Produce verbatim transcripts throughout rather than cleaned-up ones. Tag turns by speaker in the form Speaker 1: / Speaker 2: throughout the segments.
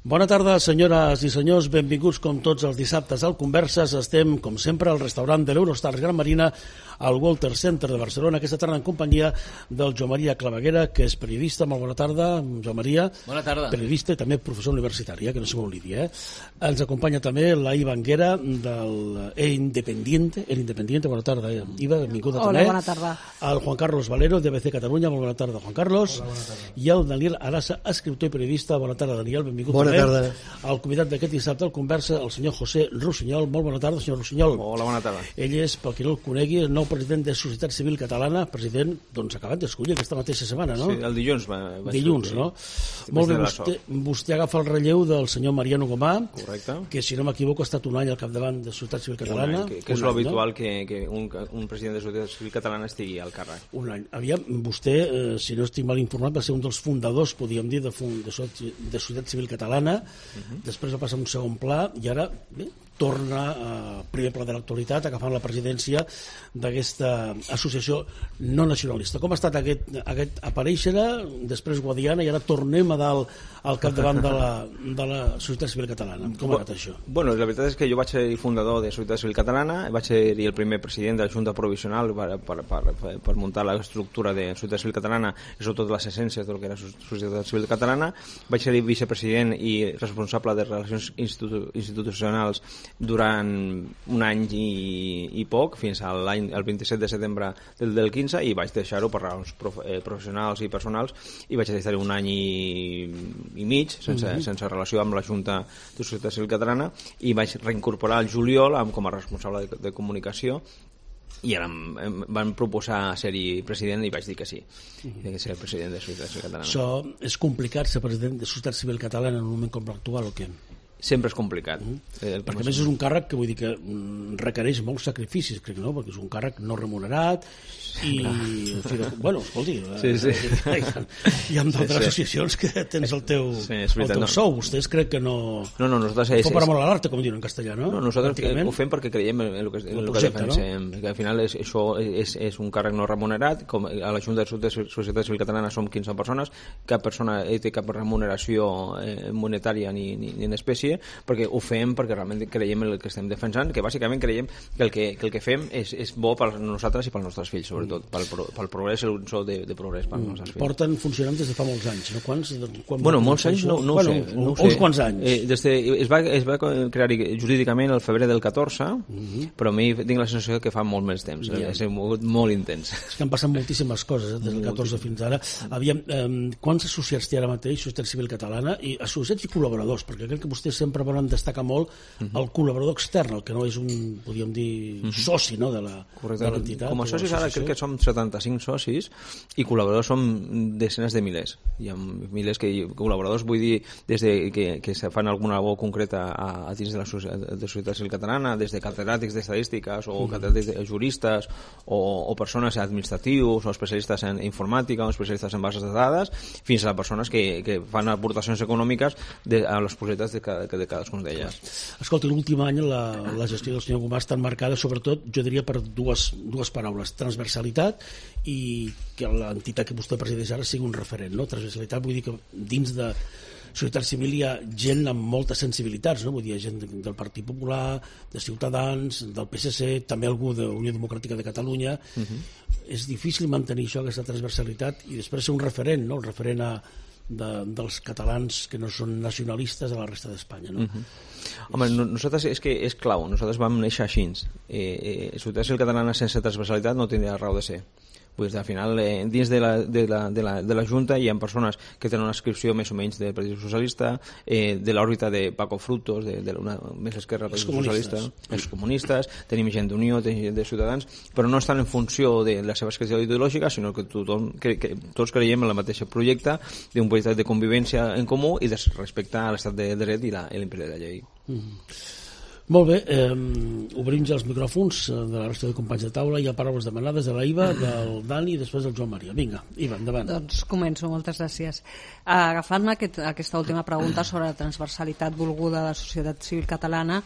Speaker 1: Bona tarda, senyores i senyors, benvinguts com tots els dissabtes al Converses. Estem, com sempre, al restaurant de l'Eurostars Gran Marina, al Walter Center de Barcelona, aquesta tarda en companyia del Joan Maria Claveguera, que és periodista. Molt bona tarda, Joan Maria.
Speaker 2: Bona tarda.
Speaker 1: Periodista i també professor universitari, eh, que no se m'oblidi. Eh? Ens acompanya també la Iva Anguera del El Independiente. El Independiente, bona tarda, eh? Iva, benvinguda
Speaker 3: Hola,
Speaker 1: també.
Speaker 3: bona tarda.
Speaker 1: El Juan Carlos Valero, de A B C Catalunya, molt bona tarda, Juan Carlos.
Speaker 4: Hola, bona tarda.
Speaker 1: I el Daniel Arasa, escriptor i periodista. Bona tarda, Daniel, benvingut.
Speaker 4: Bona
Speaker 1: també.
Speaker 4: tarda.
Speaker 1: El convidat d'aquest dissabte al Conversa, el senyor José Rossinyol. Molt bona tarda, senyor Rossinyol.
Speaker 2: Hola, bona tarda.
Speaker 1: Ell és, pel qui no el conegui, el nou president de Societat Civil Catalana, president, doncs, acabat d'escollir aquesta mateixa setmana, no?
Speaker 2: Sí, el dilluns va, va
Speaker 1: Dilluns,
Speaker 2: ser,
Speaker 1: no?
Speaker 2: sí.
Speaker 1: Molt bé,
Speaker 2: de la
Speaker 1: vostè, vostè agafa el relleu del senyor Mariano Gomà,
Speaker 2: Correcte.
Speaker 1: que, si no m'equivoco, ha estat un any al capdavant de Societat Civil Catalana.
Speaker 2: Un any, que, que és
Speaker 1: Un any,
Speaker 2: l'habitual
Speaker 1: no?
Speaker 2: que, que un, un president de Societat Civil Catalana estigui al càrrec.
Speaker 1: Un any. Aviam, vostè, eh, si no estic mal informat, va ser un dels fundadors, podríem dir, de, fund, de, Societat, de Societat Civil Catalana. Uh-huh. Després va passar a un segon pla i ara, bé, torna a primer pla de l'actualitat, agafant la presidència d'aquesta associació no nacionalista. Com ha estat aquest, aquest aparèixer, després Guadiana, i ara tornem a dalt al capdavant de la, de la Societat Civil Catalana? Com ha anat això?
Speaker 2: Bueno, la veritat és que jo vaig ser fundador de Societat Civil Catalana, vaig ser el primer president de la Junta Provisional per, per, per, per muntar l'estructura de Societat Civil Catalana i sobretot les essències del que era Societat Civil Catalana. Vaig ser vicepresident i responsable de Relacions Institu Institucionals durant un any i, i poc, fins a l'any el vint-i-set de setembre del, del quinze, i vaig deixar-ho per raons prof, eh, professionals i personals, i vaig deixar un any i, i mig sense, mm-hmm. sense relació amb la Junta de Societat Civil Catalana, i vaig reincorporar el juliol amb, com a responsable de, de comunicació, i ara em, em van proposar ser-hi president i vaig dir que sí, mm-hmm. que ser president de Societat Civil Catalana.
Speaker 1: Això és complicat, ser president de Societat Civil Catalana en un moment com l'actual, o què?
Speaker 2: Sempre és complicat.
Speaker 1: Mm-hmm. eh, perquè a més és un càrrec que vull dir que mm, requereix molts sacrificis, crec, no? Perquè és un càrrec no remunerat i, en fi, bueno, escolti,
Speaker 2: sí, sí.
Speaker 1: Eh, hi ha d'altres sí, sí. associacions que tens el teu,
Speaker 2: sí, veritat,
Speaker 1: el teu
Speaker 2: no.
Speaker 1: sou. Vostès crec que no...
Speaker 2: No, no, nosaltres... És,
Speaker 1: fo per amor a l'arte, com diuen en castellà, no?
Speaker 2: No, nosaltres ho fem perquè creiem en el que, en el que
Speaker 1: projecte,
Speaker 2: defensem.
Speaker 1: No?
Speaker 2: Que al final és, això és, és un càrrec no remunerat. Com a la Junta de Societat Civil Catalana som quinze persones, cap persona té cap remuneració eh, monetària ni, ni, ni en espècie, perquè ho fem perquè realment creiem en el que estem defensant, que bàsicament creiem que el que, que, el que fem és, és bo per nosaltres i pels nostres fills, sobretot, pel, pel progrés, el so de, de progrés pels nostres fills.
Speaker 1: Porten funcionant des de fa molts anys, no? Quants? Quan
Speaker 2: bueno, molts anys no, no,
Speaker 1: bueno,
Speaker 2: ho sé, no ho
Speaker 1: sé. Uns
Speaker 2: sé.
Speaker 1: quants anys?
Speaker 2: Eh, des de, es, va, es va crear jurídicament el febrer del catorze, uh-huh. però a mi tinc la sensació que fa molt més temps, yeah. és molt, molt intens.
Speaker 1: És que han passat moltíssimes coses, eh, des del catorze fins ara. Aviam, eh, quants associats té ara mateix Societat Civil Catalana, i associats i col·laboradors, perquè crec que vostès sempre volen destacar molt uh-huh. el col·laborador extern, el que no és un, podríem dir, uh-huh. soci, no?, de l'entitat.
Speaker 2: Com a socis ara crec que som setanta-cinc socis i col·laboradors som desenes de milers. Hi ha milers que col·laboradors, vull dir, des de que, que se fan alguna labor concreta a, a dins de la societat, de Societat Civil Catalana, des de catedràtics d'estadístiques o uh-huh. catedràtics de juristes o, o persones administratius o especialistes en informàtica o especialistes en bases de dades, fins a persones que, que fan aportacions econòmiques de, a les projectes de, cada, de cadascun d'elles.
Speaker 1: Escolta, l'últim any la, la gestió del senyor Gomà està marcada sobretot, jo diria, per dues, dues paraules: transversalitat i que l'entitat que vostè presideix ara sigui un referent, no? Transversalitat vull dir que dins de Societat Civil hi ha gent amb moltes sensibilitats, no? Vull dir, hi ha gent del Partit Popular, de Ciutadans, del P S C, també algú de Unió Democràtica de Catalunya. Uh-huh. És difícil mantenir això, aquesta transversalitat, i després ser un referent, no? El referent a De, dels catalans que no són nacionalistes a la resta d'Espanya, no?
Speaker 2: Uh-huh. Home, no, nosaltres és que és clau, nosaltres vam néixer així. Eh, eh, Societat Civil Catalana sense transversalitat no tindria raó de ser. Pues, al final, eh, dins de la, de, la, de, la, de la Junta hi ha persones que tenen una inscripció més o menys del Partit Socialista, eh, de l'òrbita de Paco Frutos, de, de una més esquerra del Partit Socialista, els comunistes, tenim gent d'Unió, tenim gent de Ciutadans, però no estan en funció de la seva esquerra ideològica, sinó que, tothom, que, que tots creiem en el mateix projecte d'un projecte de convivència en comú i de respectar a l'estat de dret i l'imperi de la llei.
Speaker 1: Mm. Molt bé, eh, obrim ja els micròfons de la resta de companys de taula. Hi ha paraules demanades de la Iva, del Dani i després del Joan Maria. Vinga, Iva, endavant.
Speaker 3: Doncs començo, moltes gràcies. Agafant-me aquest, aquesta última pregunta sobre la transversalitat volguda de la societat civil catalana,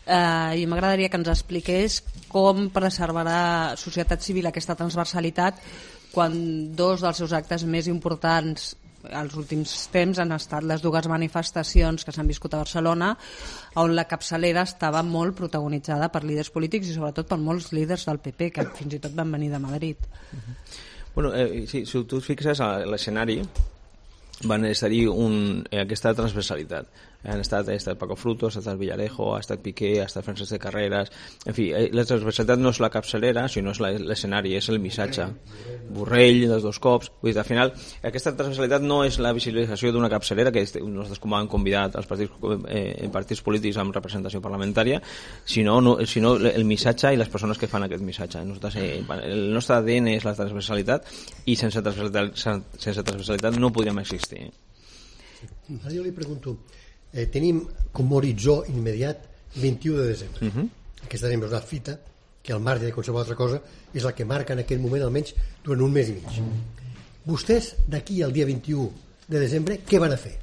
Speaker 3: eh, i m'agradaria que ens expliqués com preservarà Societat Civil aquesta transversalitat quan dos dels seus actes més importants els últims temps han estat les dues manifestacions que s'han viscut a Barcelona, on la capçalera estava molt protagonitzada per líders polítics i sobretot per molts líders del P P, que fins i tot van venir de Madrid.
Speaker 2: Bueno, eh, si, si tu et fixes a l'escenari, van estar-hi un, eh, aquesta transversalitat. Han estat, ha estat Paco Frutos, ha estat Villarejo, ha estat Piqué, ha estat Francesc de Carreras. En fi, eh, la transversalitat no és la capçalera, sinó és l'escenari, és el missatge. Borrell, dels dos cops. Vull dir, al final, aquesta transversalitat no és la visibilització d'una capçalera, que nosaltres com han convidat els partits, eh, partits polítics amb representació parlamentària, sinó, no, sinó el missatge i les persones que fan aquest missatge. Nosaltres, eh, el nostre A D N és la transversalitat i sense transversalitat, sense transversalitat no podríem existir.
Speaker 4: Ara jo li pregunto, eh, tenim com a horitzó immediat vint-i-u de desembre. Uh-huh. Aquesta és una fita que al marge de qualsevol altra cosa és la que marca en aquell moment almenys durant un mes i mig. Vostès d'aquí al dia vint-i-u de desembre què van a fer?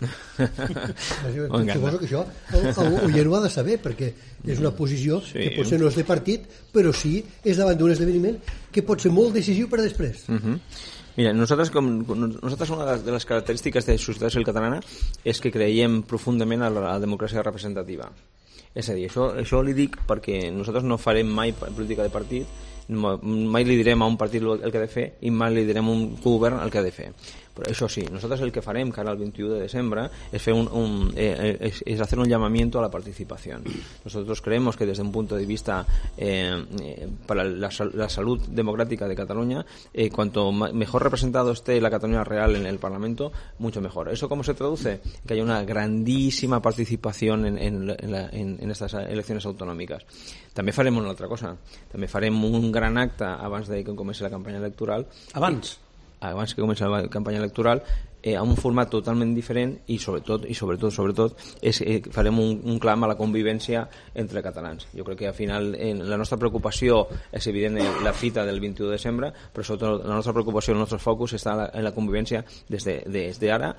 Speaker 4: Suposo que això l'oient ho ha de saber, perquè és una posició sí. que potser no és de partit, però sí és davant d'un esdeveniment que pot ser molt decisiu per a després.
Speaker 2: Uh-huh. Mira, nosaltres, com, nosaltres una de les característiques de la societat civil catalana és que creiem profundament a la, a la democràcia representativa. És a dir, això, això li dic perquè nosaltres no farem mai política de partit, mai li direm a un partit el que ha de fer i mai li direm a un govern el que ha de fer. Però això sí, nosaltres el que farem cara al vint-i-u de desembre es, fer un, un, eh, es, es hacer un llamamiento a la participación. Nosotros creemos que desde un punto de vista eh, eh, para la, la salud democrática de Cataluña, eh, cuanto mejor representado esté la Cataluña real en el Parlamento, mucho mejor. ¿Eso cómo se traduce? Que haya una grandísima participación en, en, en, la, en, en estas elecciones autonòmiques. També farem una altra cosa. També farem un gran acte abans de que comenci la campanya electoral.
Speaker 1: Abans?
Speaker 2: abans que comenci la campanya electoral, eh, amb un format totalment diferent i sobretot, i sobretot, sobretot és, eh, farem un, un clam a la convivència entre catalans. Jo crec que al final eh, la nostra preocupació és evident en la fita del vint-i-u de desembre, però sobretot la nostra preocupació, el nostre focus està en la, en la convivència des de, des de ara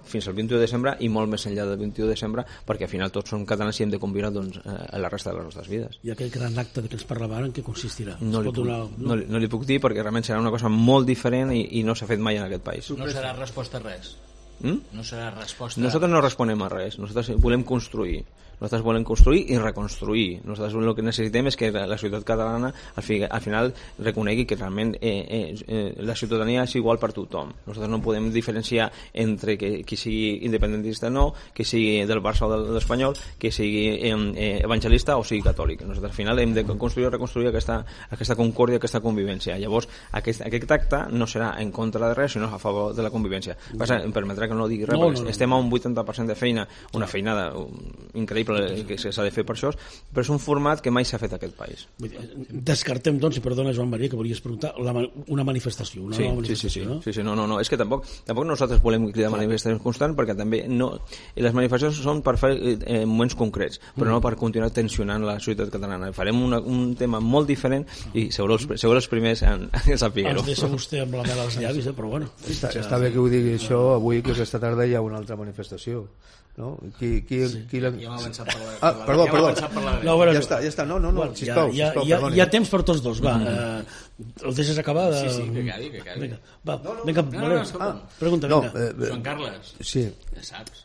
Speaker 2: fins al vint-i-u de desembre i molt més enllà del vint-i-u de desembre, perquè al final tots som catalans i hem de conviure doncs, a la resta de les nostres vides.
Speaker 1: I aquell gran acte de què ens parlava en què consistirà?
Speaker 2: No li, puc, donar, no? No, no li puc dir perquè realment serà una cosa molt diferent i, i no s'ha fet mai en aquest país.
Speaker 5: No serà resposta a res?
Speaker 2: ¿Mm?
Speaker 5: No serà resposta...
Speaker 2: Nosaltres no responem a res, nosaltres volem construir. Nosaltres volem construir i reconstruir. Nosaltres el que necessitem és que la societat catalana al, fi, al final reconegui que realment eh, eh, eh, la ciutadania és igual per tothom. Nosaltres no podem diferenciar entre que, qui sigui independentista o no, que sigui del Barça o de l'Espanyol, que sigui eh, eh, evangelista o sigui catòlic. Nosaltres al final hem de construir i reconstruir aquesta, aquesta concòrdia, aquesta convivència. Llavors, aquest, aquest acte no serà en contra de res, sinó a favor de la convivència. Passa, em permetrà que no digui res, no, no, no. Estem a un vuitanta per cent de feina, una feinada increïble que s'ha de fer per això, però és un format que mai s'ha fet a aquest país.
Speaker 1: Descartem, doncs, i perdona, Joan Maria, que volies preguntar, la, una manifestació, una
Speaker 2: sí,
Speaker 1: nova manifestació,
Speaker 2: sí, sí, sí,
Speaker 1: no?
Speaker 2: Sí, sí, no, no, no, és que tampoc, tampoc nosaltres volem cridar manifestacions constants, perquè també no, les manifestacions són per fer eh, moments concrets, però mm. no per continuar tensionant la societat catalana. Farem una, un tema molt diferent i segurament els, segur els primers en, en sapigueu.
Speaker 1: Ens deixa vostè amb la mel als llavis, eh? Però bueno.
Speaker 6: Està, està bé que ho digui això avui, que aquesta tarda hi ha una altra manifestació. No? Qui, qui, sí. qui la...
Speaker 5: Ja m'ha avançat per la...
Speaker 6: Ah, perdó,
Speaker 5: ja
Speaker 6: perdó.
Speaker 5: Per la...
Speaker 1: No, bueno,
Speaker 6: ja està, ja està. No, no, no,
Speaker 1: bueno,
Speaker 6: sisplau,
Speaker 1: ja,
Speaker 6: sisplau,
Speaker 1: ja, hi ha temps per tots dos, va. Mm. Eh, el deixes acabar? De...
Speaker 5: Sí, sí, que acabi, que acabi.
Speaker 1: Vinga, va, no, no, vinga, no, no, no, ah, pregunta,
Speaker 6: no,
Speaker 1: vinga.
Speaker 6: Eh,
Speaker 5: Joan Carles,
Speaker 6: sí.
Speaker 5: ja saps.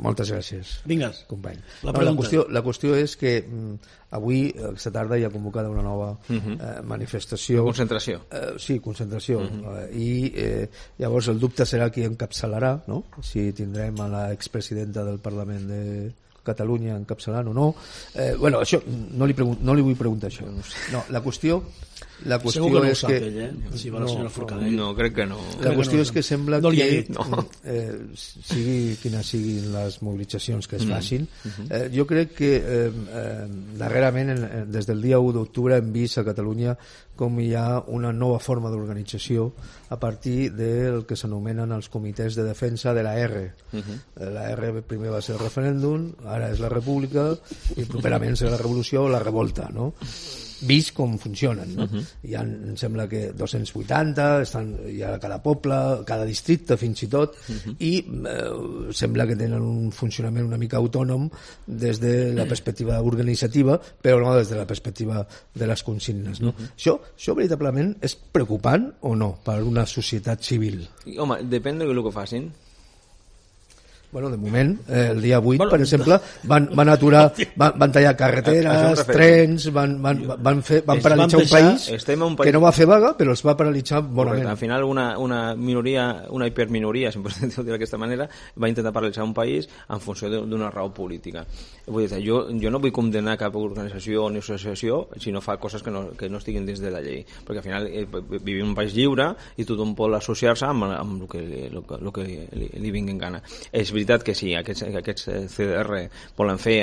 Speaker 6: Moltes gràcies.
Speaker 1: Vinga,
Speaker 6: company.
Speaker 1: La,
Speaker 6: no, la, qüestió, la qüestió és que mm, avui, aquesta tarda, hi ha convocada una nova uh -huh. eh, manifestació.
Speaker 2: Concentració.
Speaker 6: Eh, sí, concentració. Uh -huh. eh, I eh, llavors el dubte serà qui encapçalarà, no? Si tindrem a l'expresidenta del Parlament de Catalunya encapçalant o no. Eh, bueno, això no li, no li vull preguntar això. No, la qüestió la qüestió
Speaker 1: segur que no
Speaker 6: és
Speaker 1: ho sap
Speaker 6: que
Speaker 1: ell, eh? Si va la senyora Forcadell.
Speaker 2: No, crec que no.
Speaker 6: La qüestió és que sembla
Speaker 1: no
Speaker 6: que
Speaker 2: no.
Speaker 6: eh, sigui quines siguin les mobilitzacions que es facin, eh, jo crec que eh, eh, darrerament en, des del dia u d'octubre hem vist a Catalunya com hi ha una nova forma d'organització a partir del que s'anomenen els comitès de defensa de la R. Uh-huh. La R primer va ser el referèndum, ara és la república i properament serà la revolució o la revolta, no? Vist com funcionen, no? Uh-huh. Hi ha, em sembla que dos-cents vuitanta, estan, hi ha a cada poble, cada districte fins i tot, uh-huh. i eh, sembla que tenen un funcionament una mica autònom des de la perspectiva organitzativa, però no des de la perspectiva de les consignes, no? Uh-huh. Això, això veritablement és preocupant o no per una societat civil?
Speaker 2: Home, depèn del que facin.
Speaker 6: Bueno, de moment, eh, el dia vuit, per exemple, van, van aturar, van, van tallar carreteres, trens, van, van, van, fer, van paralitzar un país, un país que no va fer vaga, però els va paralitzar bonament.
Speaker 2: Al final una, una minoria, una hiperminoria, si em pots dir d'aquesta manera, va intentar paralitzar un país en funció d'una raó política. Vull dir, jo, jo no vull condenar cap organització ni associació si no fa coses que no, que no estiguin dins de la llei, perquè al final eh, vivim en un país lliure i tothom pot associar-se amb, amb el que, el, el que li, li vingui en gana. És veritat que si aquests, aquests C D R volen fer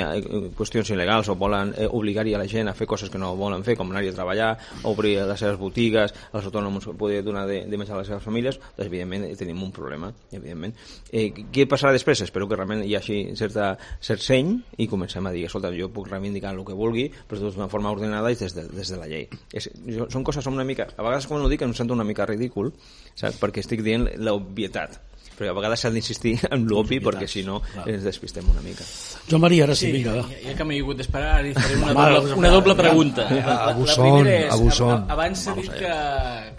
Speaker 2: qüestions il·legals o volen obligar-hi a la gent a fer coses que no volen fer, com anar-hi a treballar, obrir les seves botigues, els autònoms poder donar de, de menjar a les seves famílies, doncs evidentment tenim un problema. Evidentment. Eh, què passarà després? Espero que realment hi hagi certa, cert seny i comencem a dir, escolta, jo puc reivindicar el que vulgui, però d'una forma ordenada i des de, des de la llei. És, jo, són coses una mica... A vegades quan ho dic em sento una mica ridícul, saps? Perquè estic dient l'obvietat. Però a vegades s'ha d'insistir en l'obvi perquè si no ens despistem una mica.
Speaker 1: Joan Maria, ara sí,
Speaker 5: sí
Speaker 1: vinga, va.
Speaker 5: Ja, ja que m'he hagut d'esperar, ara faré una doble, una doble pregunta. La, la, la primera és, abans s'ha dit que,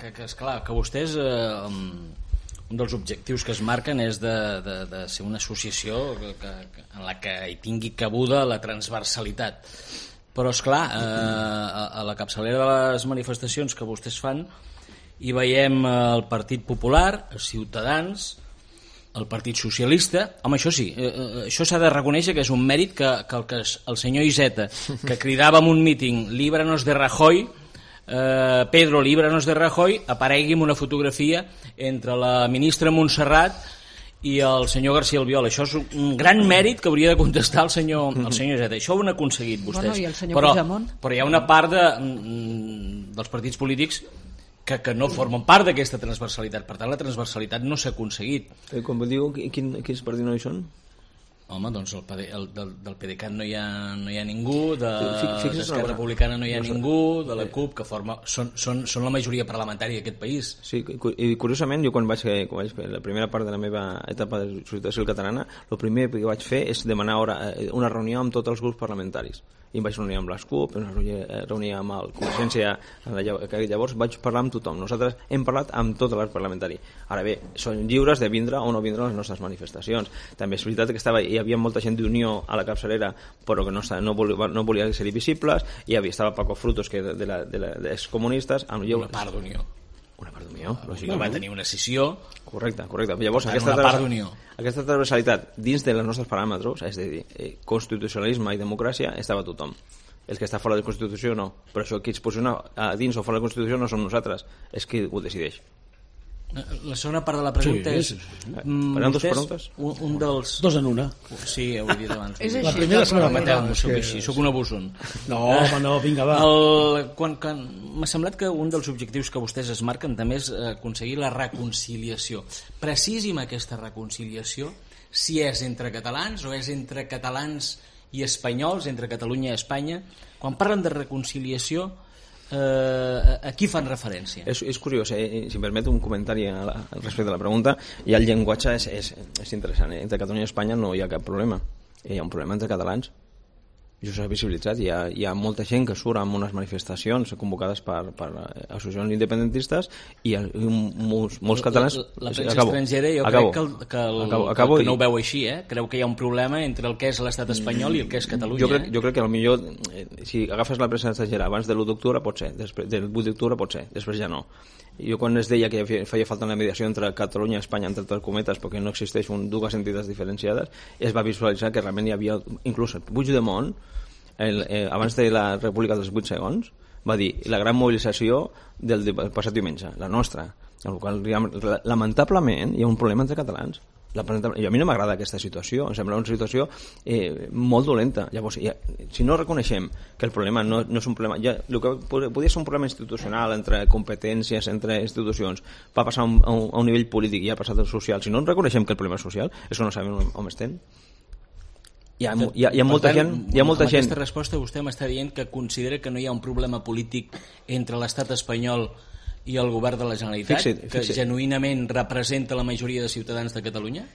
Speaker 5: que, que, esclar, que vostès eh, un dels objectius que es marquen és de, de, de ser una associació que, que, en la que hi tingui cabuda la transversalitat. Però, esclar, eh, a, a la capçalera de les manifestacions que vostès fan hi veiem el Partit Popular, els Ciutadans, el Partit Socialista. Home, això sí, eh, això s'ha de reconèixer que és un mèrit que, que, el, que el senyor Iceta, que cridava en un míting "Líbranos de Rajoy", eh, Pedro, líbranos de Rajoy, aparegui en una fotografia entre la ministra Montserrat i el senyor García Albiol. Això és un gran mèrit que hauria de contestar el senyor, el senyor Iceta. Això ho han aconseguit vostès.
Speaker 3: Bueno, i el senyor
Speaker 5: però,
Speaker 3: Puigdemont?
Speaker 5: però hi ha una part de, dels partits polítics que, que no formen part d'aquesta transversalitat. Per tant, la transversalitat no s'ha aconseguit.
Speaker 2: Eh, com diu, quin, quins partits no hi són?
Speaker 5: Home, doncs el, el, del, del PDeCAT no hi ha, no hi ha ningú, de l'Esquerra Republicana no hi ha ningú, de la CUP, que forma, són, són, són la majoria parlamentària d'aquest país.
Speaker 2: Sí, i curiosament, jo quan vaig, quan vaig fer la primera part de la meva etapa de societat civil catalana, el primer que vaig fer és demanar hora, una reunió amb tots els grups parlamentaris. I em vaig reunir amb les CUP, em vaig reunir amb el Convergència, que llavors vaig parlar amb tothom. Nosaltres hem parlat amb tot l'arc parlamentari. Ara bé, són lliures de vindre o no vindre a les nostres manifestacions. També és veritat que estava, hi havia molta gent d'Unió a la capçalera, però que no, no, volia, no volia ser visibles, i hi havia, estava Paco Frutos, que de, la, de, la, de excomunistes. Amb
Speaker 5: una part d'Unió.
Speaker 2: Una part d'Unió,
Speaker 5: lògicament. Va tenir una sessió.
Speaker 2: Correcte, correcte. Llavors, aquesta,
Speaker 5: una part d'Unió.
Speaker 2: Aquesta transversalitat dins dels nostres paràmetres, és a dir, eh, constitucionalisme i democràcia, estava tothom. El que està fora de la Constitució no. Però això qui es posiciona a dins o fora de la Constitució no som nosaltres, és qui ho decideix.
Speaker 5: La segona part de la pregunta sí, és...
Speaker 2: Sí, sí. Mm, dos preguntes?
Speaker 5: Un, un dels...
Speaker 1: Dos en una.
Speaker 5: Sí, ho he dit abans.
Speaker 3: És
Speaker 1: la primera serà
Speaker 5: la no, soc així, soc un abusón.
Speaker 1: No, home, no, vinga, va.
Speaker 5: El, quan, quan, m'ha semblat que un dels objectius que vostès es marquen també és aconseguir la reconciliació. Precisi'm aquesta reconciliació, si és entre catalans o és entre catalans i espanyols, entre Catalunya i Espanya. Quan parlen de reconciliació, Eh, a qui fan referència?
Speaker 2: És, és curiós, eh? Si em permet un comentari a la, respecte a la pregunta, ja el llenguatge és, és, és interessant, eh? Entre Catalunya i Espanya no hi ha cap problema, hi ha un problema entre catalans. Això s'ha visibilitzat, hi ha, hi ha molta gent que surt amb unes manifestacions convocades per, per associacions independentistes i, i molts, molts catalans...
Speaker 5: La, la premsa acabo, estrangera jo acabo, crec que, el, que, el, acabo, acabo que no ho veu així, eh? Creu que hi ha un problema entre el que és l'estat espanyol i el que és Catalunya.
Speaker 2: Jo crec, jo crec que potser, si agafes la premsa estrangera abans de l'u d'octubre pot ser, després, del vuit d'octubre pot ser, després ja no. Jo quan es deia que feia falta una mediació entre Catalunya i Espanya, entre totes cometes, perquè no existeix un, dues entitats diferenciades, es va visualitzar que realment hi havia, inclús Puigdemont, el, eh, abans de la República dels vuit segons, va dir la gran mobilització del, del passat diumenge, la nostra, en el qual lamentablement hi ha un problema entre catalans. La, a mi no m'agrada aquesta situació, em sembla una situació eh, molt dolenta. Llavors, ja, si no reconeixem que el problema no, no és un problema, ja, el que podria ser un problema institucional entre competències, entre institucions, va passar a un, a un nivell polític i ha passat al social. Si no reconeixem que el problema és social, és que no sabem on, on estem. Hi ha, hi ha, hi ha molta tant, gent... Hi ha molta
Speaker 5: amb
Speaker 2: gent...
Speaker 5: aquesta resposta vostè m'està dient que considera que no hi ha un problema polític entre l'estat espanyol i el govern de la Generalitat, fixa't, fixa't. que genuïnament representa la majoria de ciutadans de Catalunya?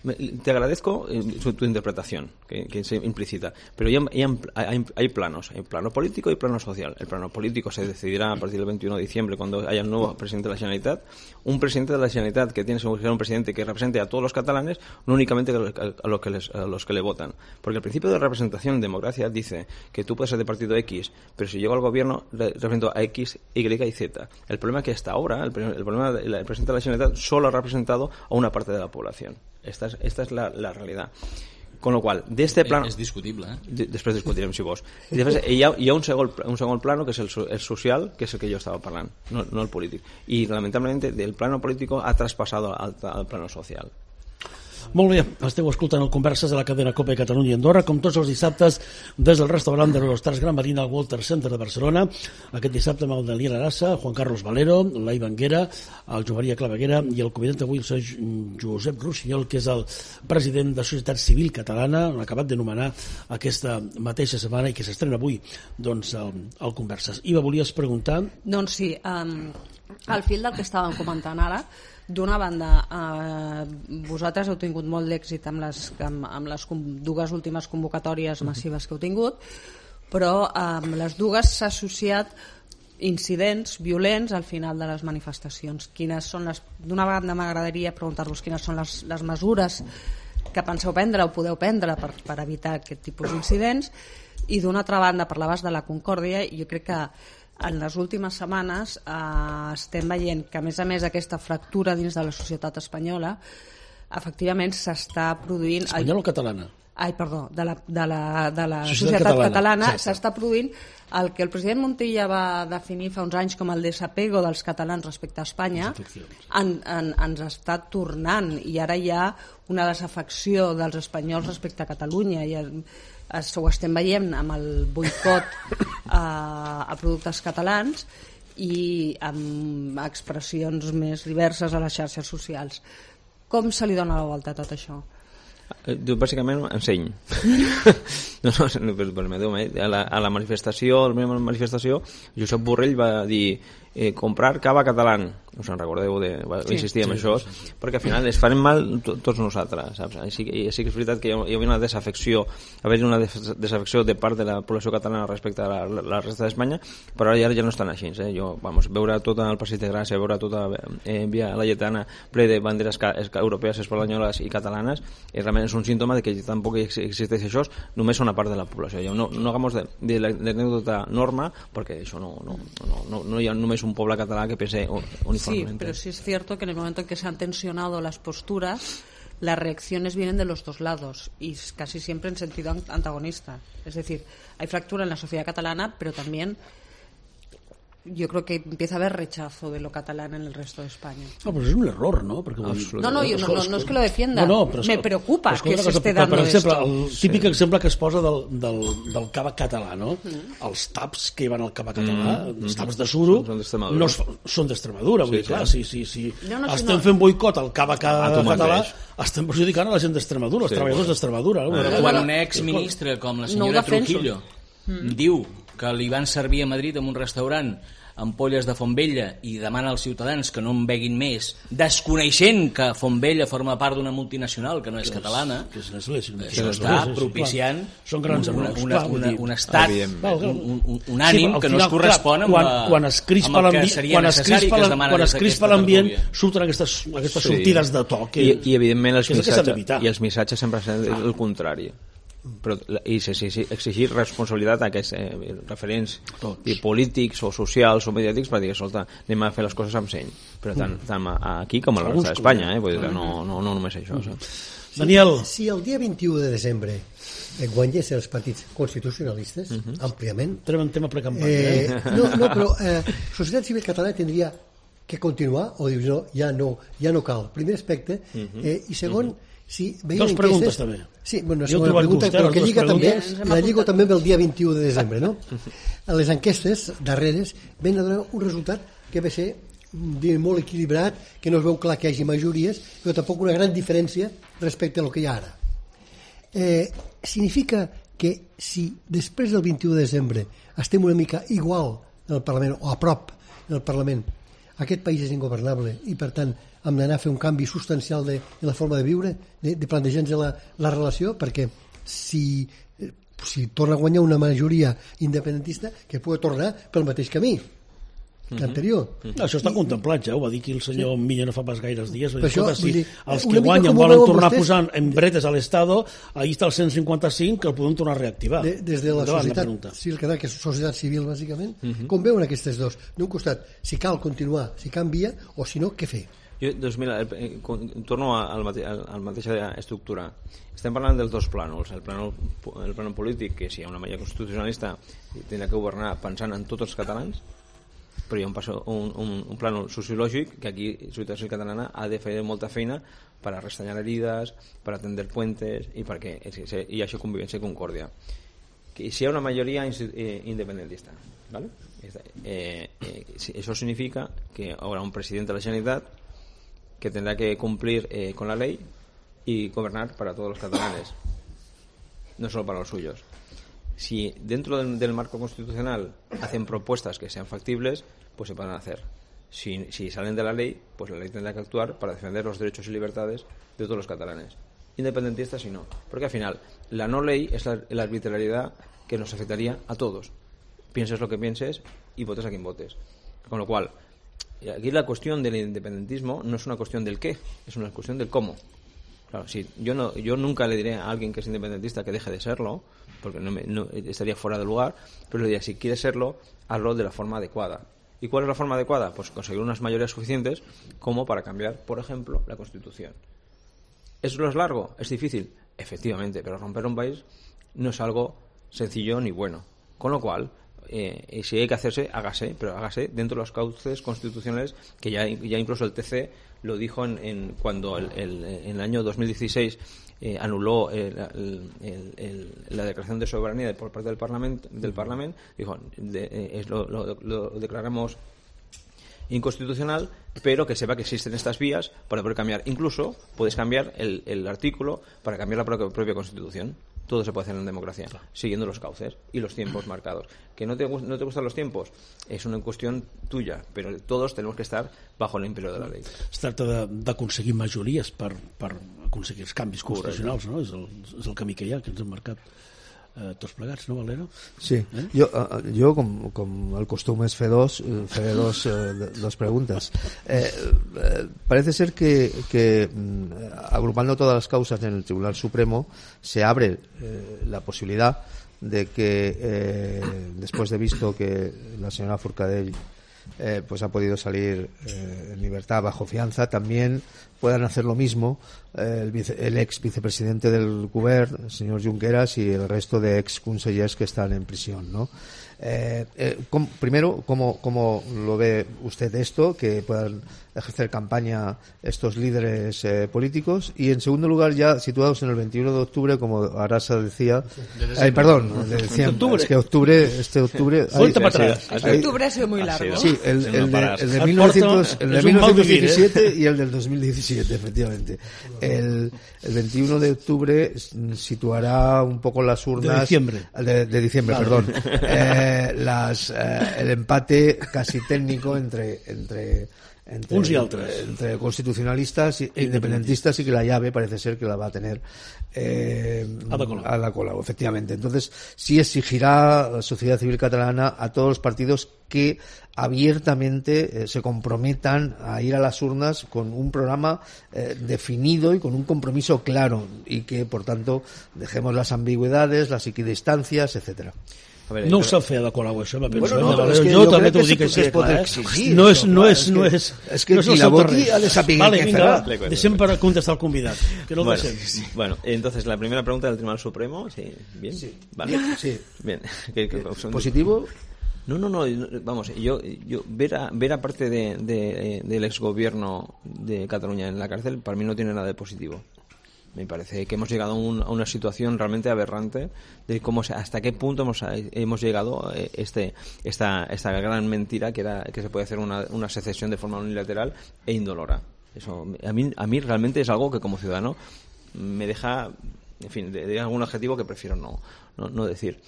Speaker 2: Te agradezco tu interpretación, que, que es implícita, pero hay, hay, hay planos, hay plano político y plano social. El plano político se decidirá a partir del veintiuno de diciembre, cuando haya un nuevo presidente de la Generalitat, un presidente de la Generalitat que tiene que ser un presidente que represente a todos los catalanes, no únicamente a los que, les, a los que le votan. Porque el principio de representación en democracia dice que tú puedes ser de partido X, pero si llego al gobierno represento a X, Y y Z. El problema es que hasta ahora el, el problema del el presidente de la Generalitat solo ha representado a una parte de la población. Esta es, esta es la, la realidad. Con lo qual, d'este plano...
Speaker 5: És discutible, eh?
Speaker 2: De, després discutirem, si vols. I després hi ha, hi ha un, segon, un segon plano, que és el, el social, que és el que jo estava parlant, no, no el polític. I, lamentablement, del plano político ha traspassado al, al plano social.
Speaker 1: Molt bé, esteu escoltant el Converses de la cadena Copa de Catalunya i Andorra, com tots els dissabtes, des del restaurant de l'Hostars Gran Marina al Walter Center de Barcelona. Aquest dissabte amb el Daniel Arassa, Juan Carlos Valero, l'Ai Banguera, el Joan Maria Claveguera i el convidat d'avui, el senyor Josep Rossinyol, que és el president de Societat Civil Catalana, acabat de nomenar aquesta mateixa setmana i que s'estrena avui, doncs, el, el Converses. Iva, volies preguntar?
Speaker 3: Doncs sí, um, al fil del que estàvem comentant ara, d'una banda, eh, vosaltres heu tingut molt d'èxit amb les, amb, amb les dues últimes convocatòries massives que heu tingut, però amb les dues s'ha associat incidents violents al final de les manifestacions. Quines són les... D'una banda m'agradaria preguntar-vos quines són les, les mesures que penseu prendre o podeu prendre per, per evitar aquest tipus d'incidents, i d'una altra banda parlaves de la concòrdia, i jo crec que en les últimes setmanes eh, estem veient que a més a més aquesta fractura dins de la societat espanyola efectivament s'està produint...
Speaker 1: Espanyola o catalana?
Speaker 3: Ai, perdó, de la, de la, de la societat, societat catalana, catalana s'està produint el que el president Montilla va definir fa uns anys com el desapego dels catalans respecte a Espanya, en, en, ens està tornant, i ara hi ha una desafecció dels espanyols respecte a Catalunya, i ho estem veient amb el boicot a, a productes catalans i amb expressions més diverses a les xarxes socials. Com se li dona la volta a tot això?
Speaker 2: Jo bàsicament enseny. no, no, no, a la, a la manifestació, a la manifestació, Josep Borrell va dir eh, comprar cava català. Us en recordeu, de, va sí, insistir en sí, això, sí. Perquè al final es farem mal to, tots nosaltres, saps? Així, i sí que és veritat que hi havia una desafecció, haver una desafecció de part de la població catalana respecte a la, la resta d'Espanya, però ara ja, ja no estan així. Eh? Jo, vamos, veure tot el Passeig de Gràcia, veure tota eh, Via Laietana ple de banderes europees, espanyoles i catalanes, i realment és un símptoma de que tampoc existeix això, només una part de la població. No, no hagamos de, de l'anècdota norma, perquè això no, no, no, no, no hi ha només un poble català que pense uniformemente.
Speaker 3: Sí, pero sí es cierto que en el momento en que se han tensionado las posturas, las reacciones vienen de los dos lados y casi siempre en sentido antagonista. Es decir, hay fractura en la sociedad catalana, pero también yo creo que empieza a haber rechazo de lo catalán en el resto de España.
Speaker 1: No, pero es un error, ¿no? Porque,
Speaker 3: no, no, yo no, no, no es que lo defienda.
Speaker 1: No, no,
Speaker 3: me preocupa que se esté
Speaker 1: per,
Speaker 3: dando
Speaker 1: per exemple,
Speaker 3: esto.
Speaker 1: El típic sí. exemple que es posa del, del, del cava català, no? Mm. Els taps que hi van al cava català, mm. els taps de suro, no són d'Extremadura. Vull dir, sí, clar, sí. si, si, si no, no, estem si no. fent boicot al cava català, estem perjudicant a la gent d'Extremadura, els sí, treballadors d'Extremadura. No?
Speaker 5: Ah, quan un exministre com la senyora no Trujillo mm. diu que li van servir a Madrid en un restaurant ampolles de Fontvella i demana als ciutadans que no en beguin més, desconeixent que Fontvella forma part d'una multinacional que no és que catalana,
Speaker 1: que és l'església,
Speaker 5: això està propiciant
Speaker 1: són grans
Speaker 5: una, una, una, un estat, un, un, un ànim sí, que no es correspon amb,
Speaker 1: quan, quan es crispa
Speaker 5: amb el que seria
Speaker 1: quan
Speaker 5: necessari que es demana
Speaker 1: quan es crispa l'ambient surten aquestes, aquestes sí. sortides de to que,
Speaker 2: I, i evidentment els missatges, i els missatges sempre són el contrari. Però, i sí, sí, sí, exigir responsabilitat a aquests eh, referents i polítics o socials o mediàtics per dir, escolta, anem a fer les coses amb seny, però tant, tant aquí com a la resta d'Espanya, eh? Vull dir que no, no, no només això.
Speaker 1: Mm. Sí. Daniel,
Speaker 4: si el dia vint-i-u de desembre eh, guanyés els partits constitucionalistes uh -huh. àmpliament,
Speaker 1: tenim un tema precampanya
Speaker 4: eh, eh? no, no, però eh, Societat Civil Catalana tindria que continuar o dius no, ja no, ja no cal, primer aspecte, eh, i segon uh -huh. si
Speaker 1: dos preguntes també.
Speaker 4: Sí, bueno, la segona pregunta, però que lliga també, la lligo també amb el dia vint-i-u de desembre, no? Les enquestes darreres ven a donar un resultat que va ser molt equilibrat, que no es veu clar que hi hagi majories, però tampoc una gran diferència respecte a lo que hi ha ara. Eh, significa que si després del vint-i-u de desembre estem una mica igual en el Parlament, o a prop en el Parlament, aquest país és ingovernable i per tant hem d'anar a fer un canvi substancial de, de la forma de viure, de, de plantejar-nos la, la relació, perquè si, si torna a guanyar una majoria independentista, que pugui tornar pel mateix camí que anterior.
Speaker 1: Mm-hmm. Això està contemplat, ja ho va dir aquí el senyor sí. Millena fa pas gaires dies.
Speaker 4: Dir, això,
Speaker 1: si
Speaker 4: dir,
Speaker 1: els que guanyen volen tornar vostès? Posant en bretes a l'Estado, ahí està el cent cinquanta cinc que el podem tornar a reactivar.
Speaker 4: De, des de la societat civil, que és societat civil bàsicament, mm-hmm. com veuen aquestes dos? D'un costat, si cal continuar, si canvia, o si no, què fer?
Speaker 2: Jo, doncs mira, eh, torno al mate, al mateixa estructura. Estem parlant dels dos plànols. El plànol, el plànol polític, que si hi ha una majoria constitucionalista tindrà que governar pensant en tots els catalans, però hi ha un, passo, un, un, un plànol sociològic que aquí Solidaritat Civil Catalana ha de fer molta feina per a restanyar herides, per a tendre puentes i perquè hi hagi convivència i concòrdia. Que si hi ha una majoria independentista, ¿vale? eh, eh, eso significa que habrá un presidente de la Generalitat que tendrá que cumplir eh, con la ley y gobernar para todos los catalanes, no solo para los suyos. Si dentro del, del marco constitucional hacen propuestas que sean factibles, pues se pueden hacer. Si, si salen de la ley, pues la ley tendrá que actuar para defender los derechos y libertades de todos los catalanes, independentistas y no. Porque al final, la no ley es la, la arbitrariedad que nos afectaría a todos. Pienses lo que pienses y votes a quien votes. Con lo cual, aquí la cuestión del independentismo no es una cuestión del qué, es una cuestión del cómo. Claro, sí, yo no, yo nunca le diré a alguien que es independentista que deje de serlo, porque no, me, no estaría fuera de lugar, pero le diría, si quiere serlo, hazlo de la forma adecuada. ¿Y cuál es la forma adecuada? Pues conseguir unas mayorías suficientes como para cambiar, por ejemplo, la Constitución. ¿Eso es largo? ¿Es difícil? Efectivamente, pero romper un país no es algo sencillo ni bueno. Con lo cual, eh, si hay que hacerse, hágase, pero hágase dentro de los cauces constitucionales que ya, ya incluso el T C lo dijo en, en cuando el, el, en el año dos mil dieciséis eh, anuló el, el, el, el, la declaración de soberanía por parte del Parlamento, del Parlamento, dijo, de, eh, lo, lo, lo declaramos inconstitucional, pero que sepa que existen estas vías para poder cambiar. Incluso puedes cambiar el, el artículo para cambiar la propia, propia Constitución. Todo se puede hacer en democracia, siguiendo los cauces y los tiempos marcados. ¿Que no te, no te gustan los tiempos? És una qüestió tuya, però todos tenemos que estar bajo el imperio de la ley.
Speaker 1: Es tracta d'aconseguir majories per, per aconseguir els canvis constitucionals, no? És el, és el camí que hi ha, que ens hem marcat eh, tots plegats, no, Valera?
Speaker 6: Sí, eh? jo, eh, jo com, com el costum és fer dos, faré dos, eh, dos preguntas. Eh, eh, parece ser que, que agrupando todas las causas en el Tribunal Supremo se abre eh, la posibilidad de que eh, después de visto que la señora Forcadell eh, pues ha podido salir eh, en libertad bajo fianza, también puedan hacer lo mismo eh, el, vice, el ex vicepresidente del Govern, el señor Junqueras, y el resto de ex consellers que están en prisión, ¿no? Eh, eh, com, primero, ¿cómo, ¿cómo lo ve usted esto? Que puedan ejercer campaña estos líderes eh, políticos. Y en segundo lugar, ya situados en el veintiuno de octubre, como Arasa decía, ay, perdón, de diciembre, es que octubre, este octubre,
Speaker 1: ay, para atrás.
Speaker 3: Hay, octubre ha sido muy largo.
Speaker 6: Sí, el, el, el, de, el de mil novecientos, el de mil novecientos diecisiete y el del dos mil diecisiete, efectivamente. El, el veintiuno de octubre situará un poco las urnas
Speaker 1: de diciembre,
Speaker 6: de, de diciembre, vale. Perdón. Eh, Las, eh, el empate casi técnico entre entre entre,
Speaker 1: uns y altres,
Speaker 6: entre constitucionalistas e independentistas, y que la llave parece ser que la va a tener eh,
Speaker 1: Ada Colau.
Speaker 6: Ada Colau, efectivamente. Entonces sí exigirá la sociedad civil catalana a todos los partidos que abiertamente eh, se comprometan a ir a las urnas con un programa eh, definido y con un compromiso claro, y que por tanto dejemos las ambigüedades, las equidistancias, etcétera.
Speaker 1: A ver, no ho sap fer Ada Colau, això, la penso.
Speaker 6: Bueno, no,
Speaker 1: no,
Speaker 6: és que
Speaker 1: jo,
Speaker 6: jo
Speaker 1: també
Speaker 6: t'ho
Speaker 1: dic
Speaker 6: que
Speaker 1: així,
Speaker 6: clar,
Speaker 1: eh? No és, no és, no és,
Speaker 6: és que
Speaker 1: no és
Speaker 6: qui la voti ha de saber
Speaker 1: vale,
Speaker 6: què
Speaker 1: vinga,
Speaker 6: farà.
Speaker 1: Deixem per contestar al convidat, que no el
Speaker 2: bueno,
Speaker 1: deixem.
Speaker 2: Sí. Bueno, entonces la primera pregunta del Tribunal Supremo, sí, bien,
Speaker 6: sí.
Speaker 2: Vale,
Speaker 6: sí,
Speaker 2: bien. ¿Qué, qué,
Speaker 6: positivo?
Speaker 2: No, no, no, vamos, yo, yo ver a, ver a parte de, de, del exgobierno de Cataluña en la cárcel, para mí no tiene nada de positivo. Me parece que hemos llegado a, un, a una situación realmente aberrante de cómo se, hasta qué punto hemos, hemos llegado eh, este esta esta gran mentira que era que se puede hacer una, una secesión de forma unilateral e indolora. Eso a mí a mí realmente es algo que como ciudadano me deja, en fin, de, de algún adjetivo que prefiero no no, no decir.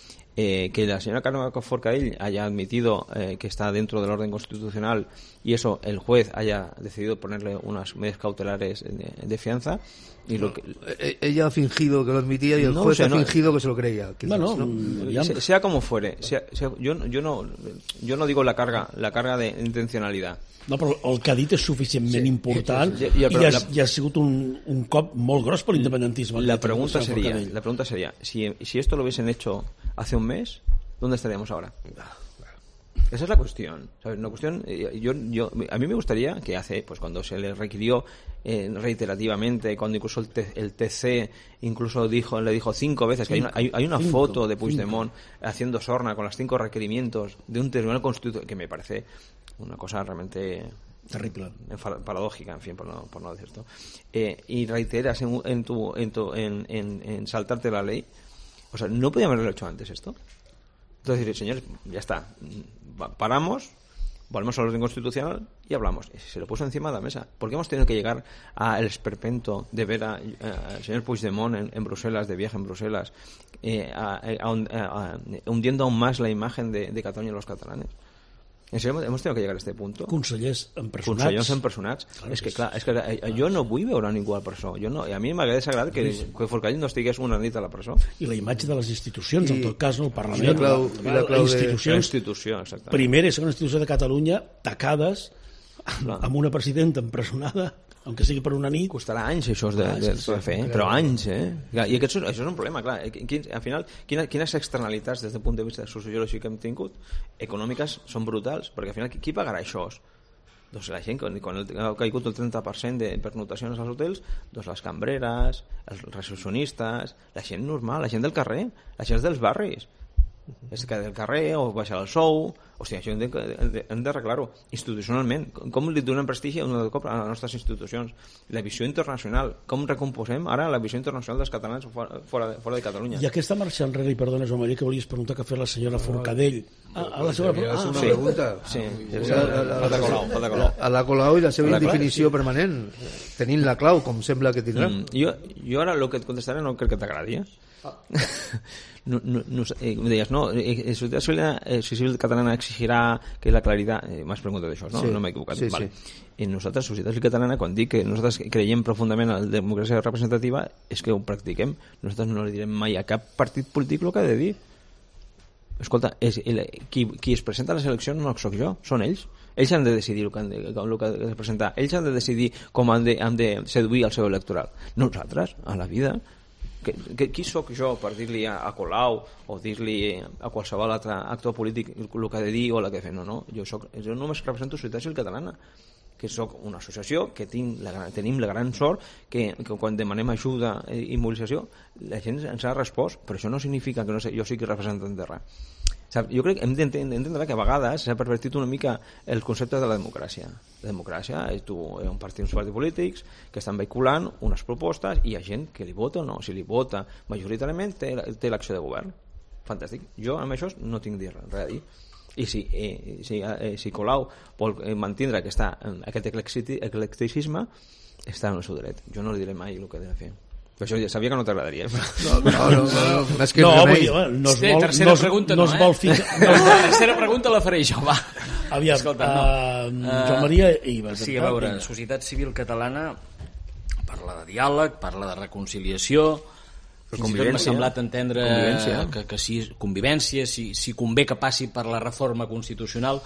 Speaker 2: eh, que la señora Carmen Forcadell haya admitido eh, que está dentro del orden constitucional y eso el juez haya decidido ponerle unas medidas cautelares de, de fianza. Y lo que...
Speaker 6: Ella ha fingido que lo admitía y el
Speaker 2: no,
Speaker 6: juez
Speaker 2: o sea,
Speaker 6: ha
Speaker 2: no,
Speaker 6: fingido que se lo creía.
Speaker 1: Quizás, no, no,
Speaker 2: no. Sea, sea como fuere, sea, sea, yo, yo, no, yo no digo la carga, la carga de intencionalidad.
Speaker 1: No, però el que ha dit és suficientment sí, important sí, sí, sí. I,
Speaker 2: I,
Speaker 1: i, ha, i ha sigut un, un cop molt gros per l'independentisme.
Speaker 2: La pregunta sería, la pregunta sería si, si esto lo hubiesen hecho hace un mes, ¿dónde estaríamos ahora? Esa es la cuestión, ¿sabes? Una cuestión, yo, yo, a mí me gustaría que hace, pues cuando se le requirió eh, reiterativamente, cuando incluso el, T, el T C incluso dijo, le dijo cinco veces que hay una, hay, hay una cinco, foto de Puigdemont cinco. haciendo sorna con los cinco requerimientos de un tribunal constitucional que me parece una cosa realmente
Speaker 1: terrible,
Speaker 2: paradójica, en fin, por no, por no decir esto, eh, y reiteras en, en, tu, en, tu, en, en, en saltarte la ley, o sea, ¿no podíamos haberlo hecho antes esto? Entonces, señores, ya está, paramos, volvemos al orden constitucional y hablamos. Se lo puso encima de la mesa. ¿Por qué hemos tenido que llegar al esperpento de ver al señor Puigdemont en, en Bruselas, de viaje en Bruselas, eh, a, a, a, a, hundiendo aún más la imagen de, de Cataluña y los catalanes? ¿En serio hemos tenido que llegar a este punto?
Speaker 1: Consellers empresonats.
Speaker 2: Consellers empresonats. Claro, és que, clar, és que jo no vull veure ningú a la presó. Jo no, a mi m'agrada desagradar que, que Forcadell no estigués una nit a la presó.
Speaker 1: I la imatge de les institucions, I, en tot cas, no, el Parlament,
Speaker 6: la, clau,
Speaker 1: la, la, la institució,
Speaker 2: la institució
Speaker 1: primera i segona institució de Catalunya, tacades, clar, amb una presidenta empresonada, aunque sigui per una nit.
Speaker 2: Costarà anys això de, de, de fer, eh? Però anys, eh? I aquest, això és un problema, clar. Quin, al final, quina, quines externalitats des del punt de vista sociològic que hem tingut, econòmiques, són brutals, perquè al final qui pagarà això? Doncs la gent, quan ha caigut el trenta per cent de pernotacions als hotels, doncs les cambreres, els recepcionistes, la gent normal, la gent del carrer, la gent dels barris. És que del carrer o baixar el sou, hòstia, això hem de, hem d'arreglar-ho institucionalment. Com li donem prestigi un cop a les nostres institucions? La visió internacional, com recomposem ara la visió internacional dels catalans fora, fora, de, fora de Catalunya?
Speaker 1: I aquesta marxa enrere, i perdona, Joan Maria, que volies preguntar que ha fet la senyora Forcadell.
Speaker 6: Ah, a la seva ah,
Speaker 1: una
Speaker 6: sí. pregunta.
Speaker 2: Sí.
Speaker 6: A la Colau i la seva indefinició permanent, tenint la clau, com sembla que tindrà.
Speaker 2: Mm, jo, jo ara el que et contestaré no crec que t'agradi, eh? Ah. No, no, no, eh, me deies, no, eh, Societat Civil Catalana exigirà que la claritat, eh, m'has preguntat això, no? Sí, no m'he equivocat,
Speaker 6: sí,
Speaker 2: vale.
Speaker 6: Sí.
Speaker 2: I nosaltres, Societat Civil Catalana, quan dic que nosaltres creiem profundament en la democràcia representativa, és que ho practiquem. Nosaltres no li direm mai a cap partit polític el que ha de dir. Escolta, és, el, qui, qui es presenta a les eleccions no soc jo, són ells. Ells han de decidir el que han de, el que han de presentar. Ells han de decidir com han de, han de seduir el seu electoral. Nosaltres, a la vida... Que, que, qui sóc jo per dir-li a, a Colau o dir-li a qualsevol altre actor polític el que ha de dir o el que ha de fer? No, no, jo, soc, jo només represento Societat Civil Catalana, que sóc una associació que tinc la, tenim la gran sort que, que quan demanem ajuda i mobilització la gent ens ha respost, però això no significa que no sé, jo sigui representant de res. Jo crec que hem d'entendre que a vegades s'ha pervertit una mica el concepte de la democràcia. La democràcia és tu, un partit, uns partits polítics que estan vehiculant unes propostes i hi ha gent que li vota o no. Si li vota majoritàriament té, té l'acció de govern. Fantàstic. Jo amb això no tinc res a dir. I si, eh, si, eh, si Colau vol mantindre aquesta, aquest eclecticisme, està en el seu dret. Jo no li diré mai el que ha de fer. Però això ja sabia que no t'agradaria.
Speaker 6: No, no, no, no, no, és que
Speaker 1: no,
Speaker 6: no,
Speaker 1: vull dir, no es vol,
Speaker 5: tercera
Speaker 1: no,
Speaker 5: pregunta
Speaker 1: no,
Speaker 5: no,
Speaker 1: es vol
Speaker 5: eh?
Speaker 1: ficar...
Speaker 5: No. La tercera pregunta la faré jo, va.
Speaker 1: Aviam,
Speaker 5: escolta, no.
Speaker 1: uh, Joan Maria Ives.
Speaker 5: Sí, a veure, Societat Civil Catalana parla de diàleg, parla de reconciliació, fins i tot m'ha semblat entendre que, que si convivència, si, si convé que passi per la reforma constitucional,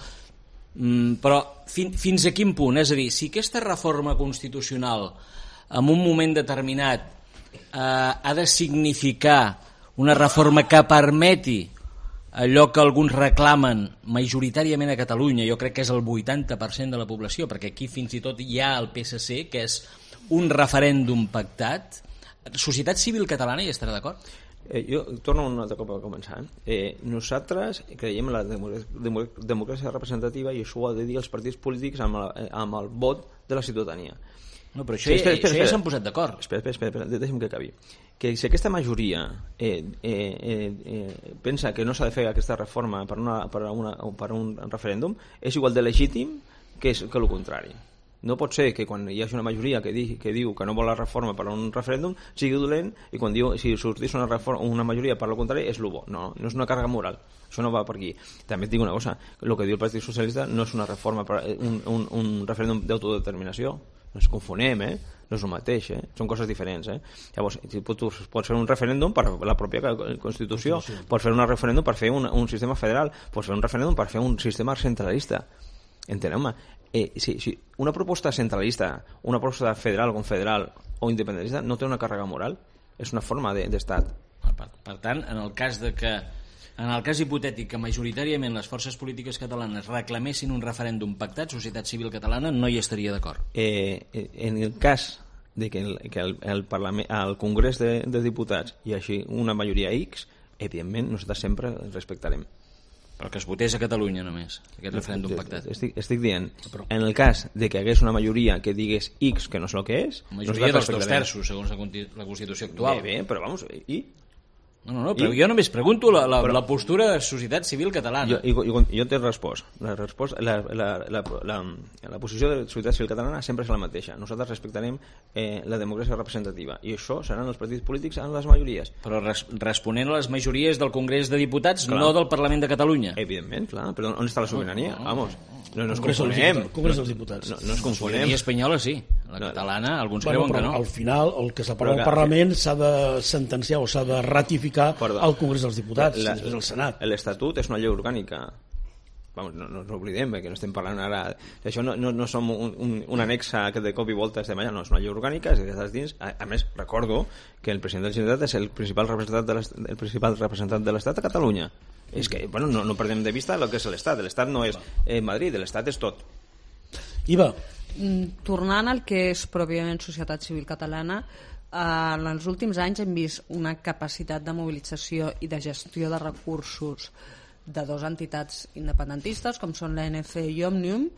Speaker 5: mm, però fin, fins a quin punt? És a dir, si aquesta reforma constitucional en un moment determinat eh, ha de significar una reforma que permeti allò que alguns reclamen majoritàriament a Catalunya, jo crec que és el vuitanta per cent de la població, perquè aquí fins i tot hi ha el P S C, que és un referèndum pactat. Societat Civil Catalana hi estarà d'acord?
Speaker 2: Eh, jo torno un altre cop a començar. Eh, nosaltres creiem en la democràcia representativa i això ho ha de dir els partits polítics amb, la, amb el vot de la ciutadania.
Speaker 5: No, però això, sí, espera, espera, això ja s'han posat d'acord.
Speaker 2: Espera, espera, espera, deixa'm que acabi. Que si aquesta majoria eh, eh, eh, eh, pensa que no s'ha de fer aquesta reforma per, una, per, una, per un referèndum, és igual de legítim que, és, que el contrari. No pot ser que quan hi hagi una majoria que, di, que diu que no vol la reforma per a un referèndum sigui dolent i quan diu si sortís una, reforma, una majoria per al contrari és el bo. No, no és una càrrega moral. Això no va per aquí. També et dic una cosa, el que diu el Partit Socialista no és una reforma, per, un, un, un referèndum d'autodeterminació. No ens confonem, eh? No és el mateix, eh? Són coses diferents, eh? Llavors, tu pots fer un referèndum per la pròpia Constitució, pots fer un referèndum per fer un, un sistema federal, pots fer un referèndum per fer un sistema centralista. Enteneu-me? Eh, si, si una proposta centralista, una proposta federal o confederal o independentista no té una càrrega moral, és una forma d'estat.
Speaker 5: De, per, per tant, en el cas de que en el cas hipotètic que majoritàriament les forces polítiques catalanes reclamessin un referèndum pactat, societat civil catalana no hi estaria d'acord.
Speaker 2: Eh, en el cas de que el, que el, el, Parlament, el Congrés de, de Diputats hi hagi una majoria X, evidentment nosaltres sempre respectarem.
Speaker 5: Però que es votés a Catalunya només, aquest referèndum pactat.
Speaker 2: Estic, estic dient, en el cas de que hi hagués una majoria que digués X que no és el que és...
Speaker 5: Majoria dels dos terços, segons la, la Constitució actual.
Speaker 2: Bé, bé, però vamos, i...
Speaker 5: No, no, no, però I? jo només pregunto la, la, però, la postura de societat civil catalana.
Speaker 2: Jo, jo, jo t'he respost. La, respost la, la, la, la, la posició de la societat civil catalana sempre és la mateixa. Nosaltres respectarem eh, la democràcia representativa i això seran els partits polítics en les majories.
Speaker 5: Però res, responent a les majories del Congrés de Diputats, clar. No del Parlament de Catalunya.
Speaker 2: Evidentment, clar. Però on està la sobirania?
Speaker 5: No, no,
Speaker 2: Vamos. No, no ens
Speaker 1: Congrés
Speaker 2: confonem.
Speaker 1: Congrés dels Diputats.
Speaker 2: No, no ens confonem.
Speaker 5: La sobirania espanyola sí. La catalana, alguns
Speaker 1: bueno,
Speaker 5: creuen que no.
Speaker 1: Al final, el que s'aprova al Parlament s'ha de sentenciar o s'ha de ratificar al Congrés dels Diputats, la, després al Senat.
Speaker 2: L'Estatut és una llei orgànica. Vamos, no, no ens oblidem, perquè no estem parlant ara... Això no, no, no som un, un, un anexa que de cop i volta estem allà, no, és una llei orgànica, és que dins. A, a més, recordo que el president de la Generalitat és el principal representant de l'Estat, el principal representant de l'Estat a Catalunya. És que, bueno, no, no perdem de vista el que és l'Estat. L'Estat no és eh, Madrid, l'Estat és tot.
Speaker 1: Iva.
Speaker 3: Tornant al que és pròpiament societat civil catalana, eh, en els últims anys hem vist una capacitat de mobilització i de gestió de recursos de dues entitats independentistes com són l'A N C i Òmnium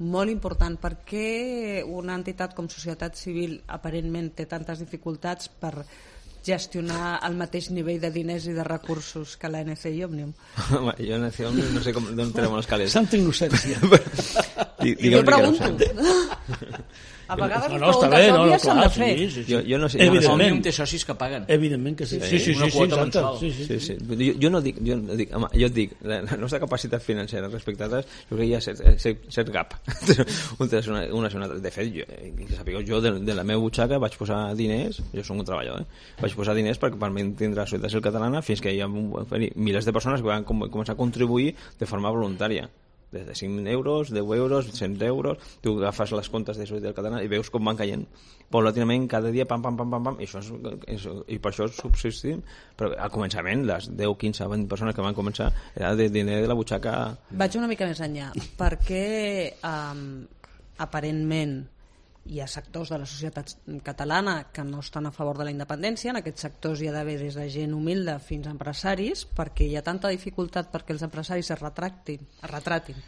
Speaker 3: molt important. Per què una entitat com societat civil aparentment té tantes dificultats per gestionar el mateix nivell de diners i de recursos que l'A N C i Òmnium?
Speaker 2: Home, jo a N C i Òmnium no sé com, d'on traiem els calés.
Speaker 1: Santa innocència.
Speaker 3: Jo pregunto. A vegades
Speaker 1: no,
Speaker 3: les
Speaker 1: no,
Speaker 3: preguntes
Speaker 1: bé, no,
Speaker 3: òbvies s'han de fer.
Speaker 1: Sí, sí, sí.
Speaker 2: Jo, jo no sé,
Speaker 1: evidentment.
Speaker 5: Òmnium té socis que paguen.
Speaker 1: Evidentment que sí. Sí, sí, sí,
Speaker 5: una
Speaker 1: sí,
Speaker 5: quota
Speaker 1: exacte.
Speaker 5: mensual.
Speaker 1: Sí, sí,
Speaker 2: sí, sí. Jo, jo no dic, jo, no dic home, jo et dic, la, la nostra capacitat financera respecte a altres, jo crec que hi ha cert, cert, cert gap. una, una, una, de fet, jo, sapigueu, jo de, de la meva butxaca vaig posar diners, jo soc un treballador, eh? vaig posar diners per, per tindre la societat civil catalana fins que hi ha milers de persones que van com, començar a contribuir de forma voluntària. Des de cinc euros, deu euros, cent euros, tu agafes les comptes de societat catalana i veus com van caient paulatinament cada dia, pam, pam, pam, pam, pam, i, això és, és, i per això subsistim. Però al començament, les deu, quinze, vint persones que van començar era de diner de la butxaca.
Speaker 3: Vaig una mica més enllà, perquè um, aparentment hi ha sectors de la societat catalana que no estan a favor de la independència. En aquests sectors hi ha d'haver des de gent humilde fins a empresaris, perquè hi ha tanta dificultat perquè els empresaris es retractin, es retratin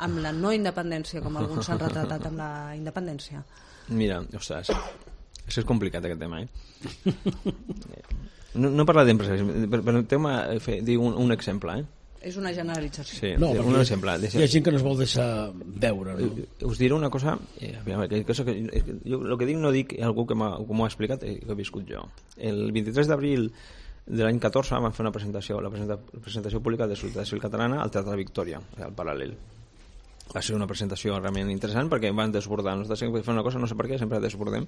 Speaker 3: amb la no independència com alguns s'han retratat amb la independència.
Speaker 2: Mira, ostres, això és complicat aquest tema, eh? No, no parla d'empresaris, per, per el tema, dic un, un exemple, eh?
Speaker 3: És una generalització.
Speaker 2: Sí,
Speaker 1: no,
Speaker 2: un exemple.
Speaker 1: Hi ha gent que no es vol deixar veure. No?
Speaker 2: Us diré una cosa, eh, que, cosa que, jo el que dic no dic algú que m'ho ha explicat, eh, que he viscut jo. El vint-i-tres d'abril de l'any catorze vam fer una presentació, la presentació, presentació pública de Societat Civil Catalana al Teatre Victòria, al Paral·lel. Va ser una presentació realment interessant perquè van desbordar. Nosaltres sempre fem una cosa, no sé per què, sempre desbordem.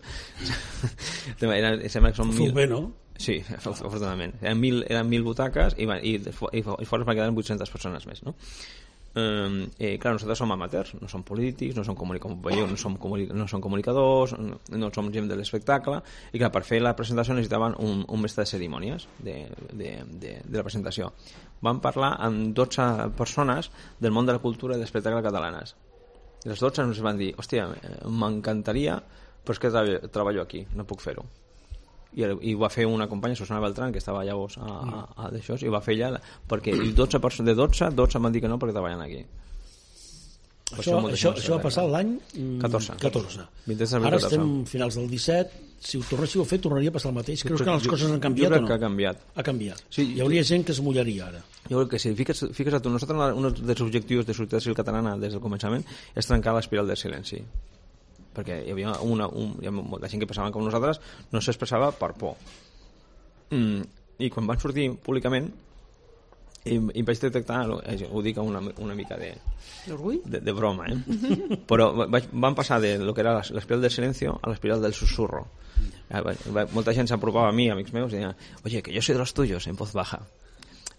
Speaker 2: Era, sembla que són
Speaker 1: mil... bé, no?
Speaker 2: Sí, afortunadament. Eren mil, eren mil butaques i, i, i, i fora van quedar vuit-centes persones més, no? Eh, eh, clar, nosaltres som amateurs, no som polítics, no som, comunic no som, comunic no som comunicadors, no, no som gent de l'espectacle, i clar, per fer la presentació necessitaven un, un mestre de cerimònies de, de, de, de la presentació. Vam parlar amb dotze persones del món de la cultura i de l'espectacle catalanes. I les dotze ens van dir, hòstia, m'encantaria, però és que treballo aquí, no puc fer-ho. I, i ho va fer una companya, Susana Beltrán, que estava llavors a, a, a d'això, i ho va fer ella perquè dotze persones, de dotze, dotze van dir que no perquè treballen aquí.
Speaker 1: Això, això, això, això va passar l'any
Speaker 2: catorze.
Speaker 1: catorze. Ara estem finals del disset. Si ho tornéssiu a fer, tornaria a passar el mateix. Creus que les coses han canviat
Speaker 2: jo
Speaker 1: o no?
Speaker 2: Que ha canviat.
Speaker 1: Ha canviat.
Speaker 2: Sí,
Speaker 1: hi hauria gent que es mullaria ara.
Speaker 2: Jo crec que sí. Fiques, fiques a tu, nosaltres un dels objectius de Societat Civil Catalana des del començament és trencar l'espiral del silenci. perquè hi havia una, un, hi havia molta gent que pensava com nosaltres, no s'expressava per por. Mm, I quan van sortir públicament, i, i vaig detectar, ho dic una, una mica de, de, de broma, eh? Però vaig, van passar de lo que era l'espiral del silencio a l'espiral del susurro. Molta gent s'apropava a mi, amics meus, i deia, oye, que yo soy de los tuyos, en voz baja.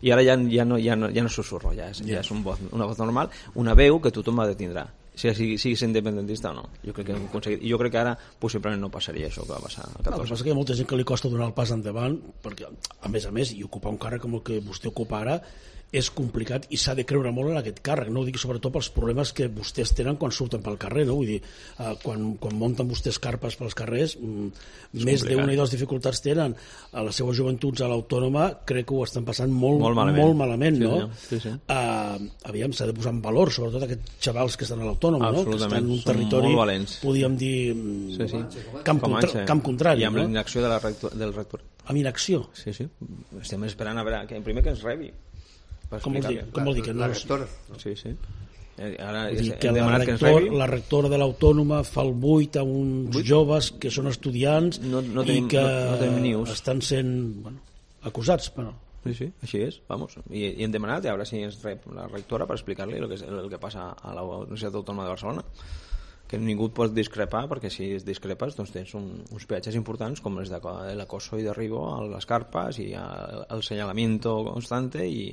Speaker 2: I ara ja, ja, no, ja, no, ja no susurro, ja és, ja és un voz, una voz normal, una veu que tothom ha de tindrà, sigui, siguis independentista o no. Jo crec que hem aconseguit, i jo crec que ara possiblement no passaria això que va passar a catorze.
Speaker 1: No, el que passa que hi ha molta gent que li costa donar el pas endavant, perquè a més a més, i ocupar un càrrec com el que vostè ocupa ara és complicat i s'ha de creure molt en aquest càrrec, no ho dic sobretot pels problemes que vostès tenen quan surten pel carrer, no? Vull dir, eh, quan, quan munten vostès carpes pels carrers, mm, més d'una i dues dificultats tenen. A les seues joventuts a l'Autònoma crec que ho estan passant molt, molt malament, molt malament sí, no? Sí, sí. Uh, aviam, s'ha de posar en valor sobretot aquests xavals que estan a l'Autònoma, no? Que estan en un territori, podríem dir, sí, sí. Camp, contra, camp contrari.
Speaker 2: I amb
Speaker 1: no?
Speaker 2: la inacció de la rector, del rector.
Speaker 1: Amb inacció?
Speaker 2: Sí, sí. Estem esperant a veure, que primer que ens rebi.
Speaker 1: Com vol dir, com vol dir que no?
Speaker 4: La rectora.
Speaker 2: Sí, sí. Ara
Speaker 1: dir que la, rector, que la rectora de l'Autònoma fa el buit a uns buit? joves que són estudiants no, no tenim, i que no, no estan sent bueno, acusats. Bueno.
Speaker 2: Sí, sí, així és. Vamos. I, i hem demanat a veure si ens rep la rectora per explicar-li el que, el que passa a la Universitat Autònoma de Barcelona, que ningú pot discrepar, perquè si discrepes doncs tens un, uns peatges importants com els de l'acoso i derribo a les carpes i el, el senyalamiento constante i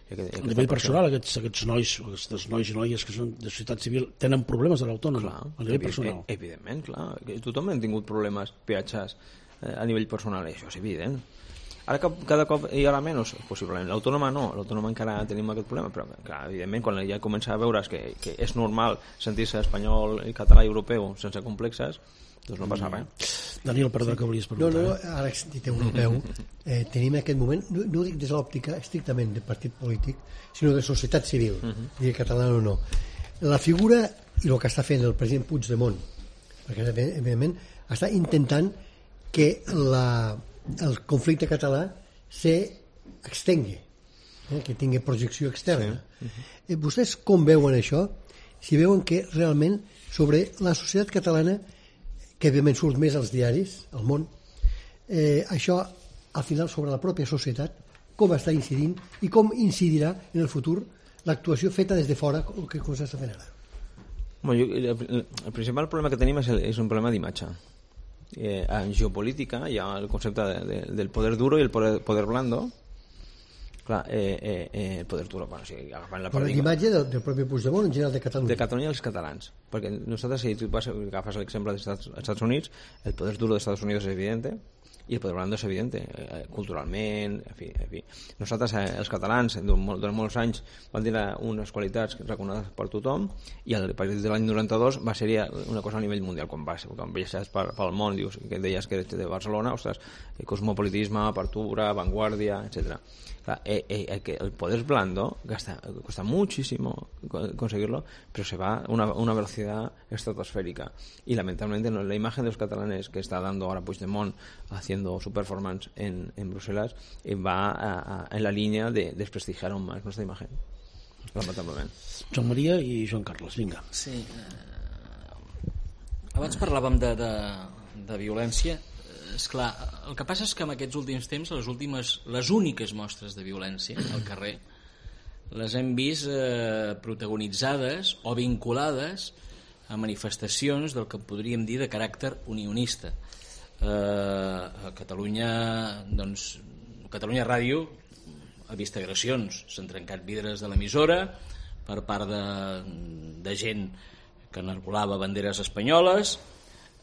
Speaker 1: a nivell personal, aquests, aquests nois aquests nois i noies que són de societat civil tenen problemes a l'Autònoma a nivell
Speaker 2: evident,
Speaker 1: personal.
Speaker 2: Evidentment, clar, tothom ha tingut problemes, peatges eh, a nivell personal, això és evident. Ara cada cop hi haurà menys, possiblement. L'Autònoma no, l'Autònoma encara tenim aquest problema, però clar, evidentment quan ja comença a veure's que, que és normal sentir-se espanyol, català i europeu sense complexes, doncs no passa res.
Speaker 1: Daniel, perdó, que volies preguntar.
Speaker 4: No, no, ara que dit europeu, eh, tenim en aquest moment, no, no ho dic des de l'òptica estrictament de partit polític, sinó de societat civil, uh -huh. digui català o no. La figura i el que està fent el president Puigdemont, perquè evidentment està intentant que la, el conflicte català s'extengui, eh, que tingui projecció externa. Sí. Uh -huh. eh, vostès com veuen això? Si veuen que realment sobre la societat catalana, que evidentment surt més als diaris, al món, eh, això al final sobre la pròpia societat, com està incidint i com incidirà en el futur l'actuació feta des de fora, que com s'està fent ara.
Speaker 2: Bueno, jo, el, el principal problema que tenim és, el, és un problema d'imatge. Eh, en geopolítica hi ha el concepte de, de, del poder duro i el poder, poder blando. Clar, eh, eh, eh, el poder duro, bueno, si agafant la paradigma...
Speaker 4: L'imatge del, del propi Puigdemont en general de Catalunya.
Speaker 2: De Catalunya als catalans. Perquè nosaltres, si tu vas, agafes l'exemple dels Estats, Estats Units, el poder duro dels Estats Units és evidente i el poder blando és evident, eh, culturalment, en fi, en fi. Nosaltres, eh, els catalans, durant, durant molts anys, van tenir unes qualitats reconegudes per tothom i a partir de l'any noranta-dos va ser una cosa a nivell mundial. Quan vas, quan viatges per, pel món, dius, que deies que eres de Barcelona, ostres, cosmopolitisme, apertura, vanguardia, etcètera. Eh, eh, el poder blando gasta, cuesta muchísimo conseguirlo, pero se va a una, una velocidad estratosférica y lamentablemente no, la imagen de los catalanes que está dando ahora Puigdemont haciendo su performance en, en Bruselas eh, va a, a, en la línea de desprestigiar aún más nuestra imagen, lamentablement.
Speaker 1: Joan Maria i Joan Carles, vinga.
Speaker 5: Sí, eh, abans parlàvem de, de, de violència. Esclar, el que passa és que en aquests últims temps les últimes, les úniques mostres de violència al carrer les hem vist eh, protagonitzades o vinculades a manifestacions del que podríem dir de caràcter unionista. Eh, a Catalunya, doncs, Catalunya Ràdio ha vist agressions, s'han trencat vidres de l'emissora per part de, de gent que enarbolava banderes espanyoles.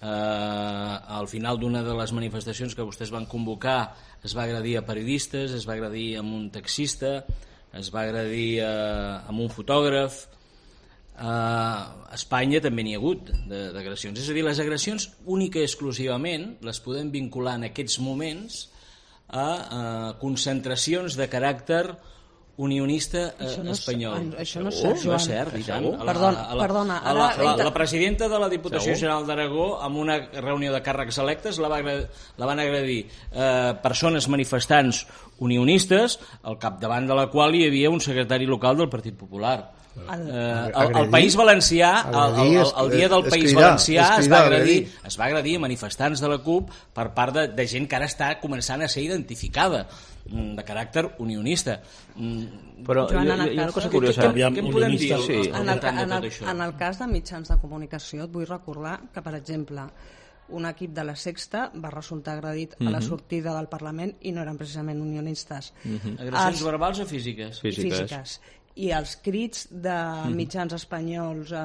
Speaker 5: Uh, al final d'una de les manifestacions que vostès van convocar es va agredir a periodistes, es va agredir a un taxista, es va agredir a, a un fotògraf. Uh, a Espanya també n'hi ha hagut d'agressions, és a dir, les agressions única i exclusivament les podem vincular en aquests moments a, a concentracions de caràcter unionista eh,
Speaker 3: això no és,
Speaker 5: espanyol.
Speaker 3: Això no és cert,
Speaker 5: Joan. No és cert, i tant.
Speaker 3: Perdona,
Speaker 5: la,
Speaker 3: perdona.
Speaker 5: La, la, la, la presidenta de la Diputació General d'Aragó, en una reunió de càrrecs electes, la, va, la van agredir eh, persones manifestants unionistes, al capdavant de la qual hi havia un secretari local del Partit Popular. El, eh, el, el País Valencià, el, el, el, el dia del País Valencià es va agredir, es va agredir a manifestants de la CUP per part de, de gent que ara està començant a ser identificada de caràcter unionista.
Speaker 2: Però Joan, hi, hi ha una cosa curiosa.
Speaker 3: Què, què, què en podem dir sí. en, el, en, el, en el cas de mitjans de comunicació et vull recordar que, per exemple, un equip de la Sexta va resultar agredit uh -huh. a la sortida del Parlament i no eren precisament unionistes.
Speaker 5: Uh -huh. Agressions Els... verbals o físiques?
Speaker 3: Físiques. Físiques. I els crits de mitjans espanyols eh,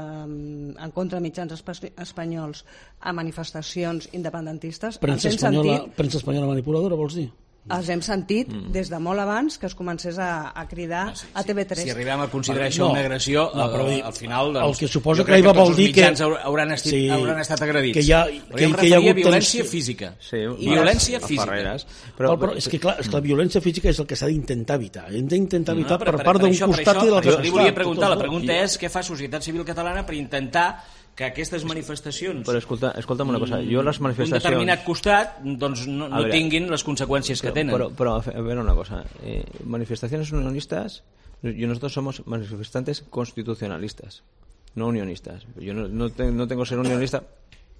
Speaker 3: en contra de mitjans espanyols a manifestacions independentistes
Speaker 1: premsa
Speaker 3: els hem
Speaker 1: espanyola,
Speaker 3: sentit
Speaker 1: premsa espanyola manipuladora, vols dir?
Speaker 3: els hem sentit mm. des de molt abans que es comencés a, a cridar ah, sí,
Speaker 5: a
Speaker 3: T V tres.
Speaker 5: Si arribem a considerar això no, una agressió, no, però dir, al final doncs,
Speaker 1: el que suposa que va vol dir que
Speaker 5: hauran, estit, sí, hauran estat agredits.
Speaker 1: Que hi ha, que, que hi ha hagut
Speaker 5: violència física.
Speaker 2: Sí,
Speaker 5: violència física.
Speaker 1: Però, però, però és que clar, és que la violència física és el que s'ha d'intentar evitar. Hem d'intentar evitar no, per, per part d'un costat
Speaker 5: això,
Speaker 1: i de l'altre costat.
Speaker 5: Li volia preguntar, la pregunta és què fa Societat Civil Catalana per intentar que aquestes manifestacions
Speaker 2: però escolta, escolta'm una cosa, jo les manifestacions
Speaker 5: un determinat costat doncs no, no veure, tinguin les conseqüències que tenen
Speaker 2: però, però a veure una cosa eh, manifestaciones unionistas yo nosotros somos manifestantes constitucionalistas no unionistas yo no, no, tengo, no tengo ser unionista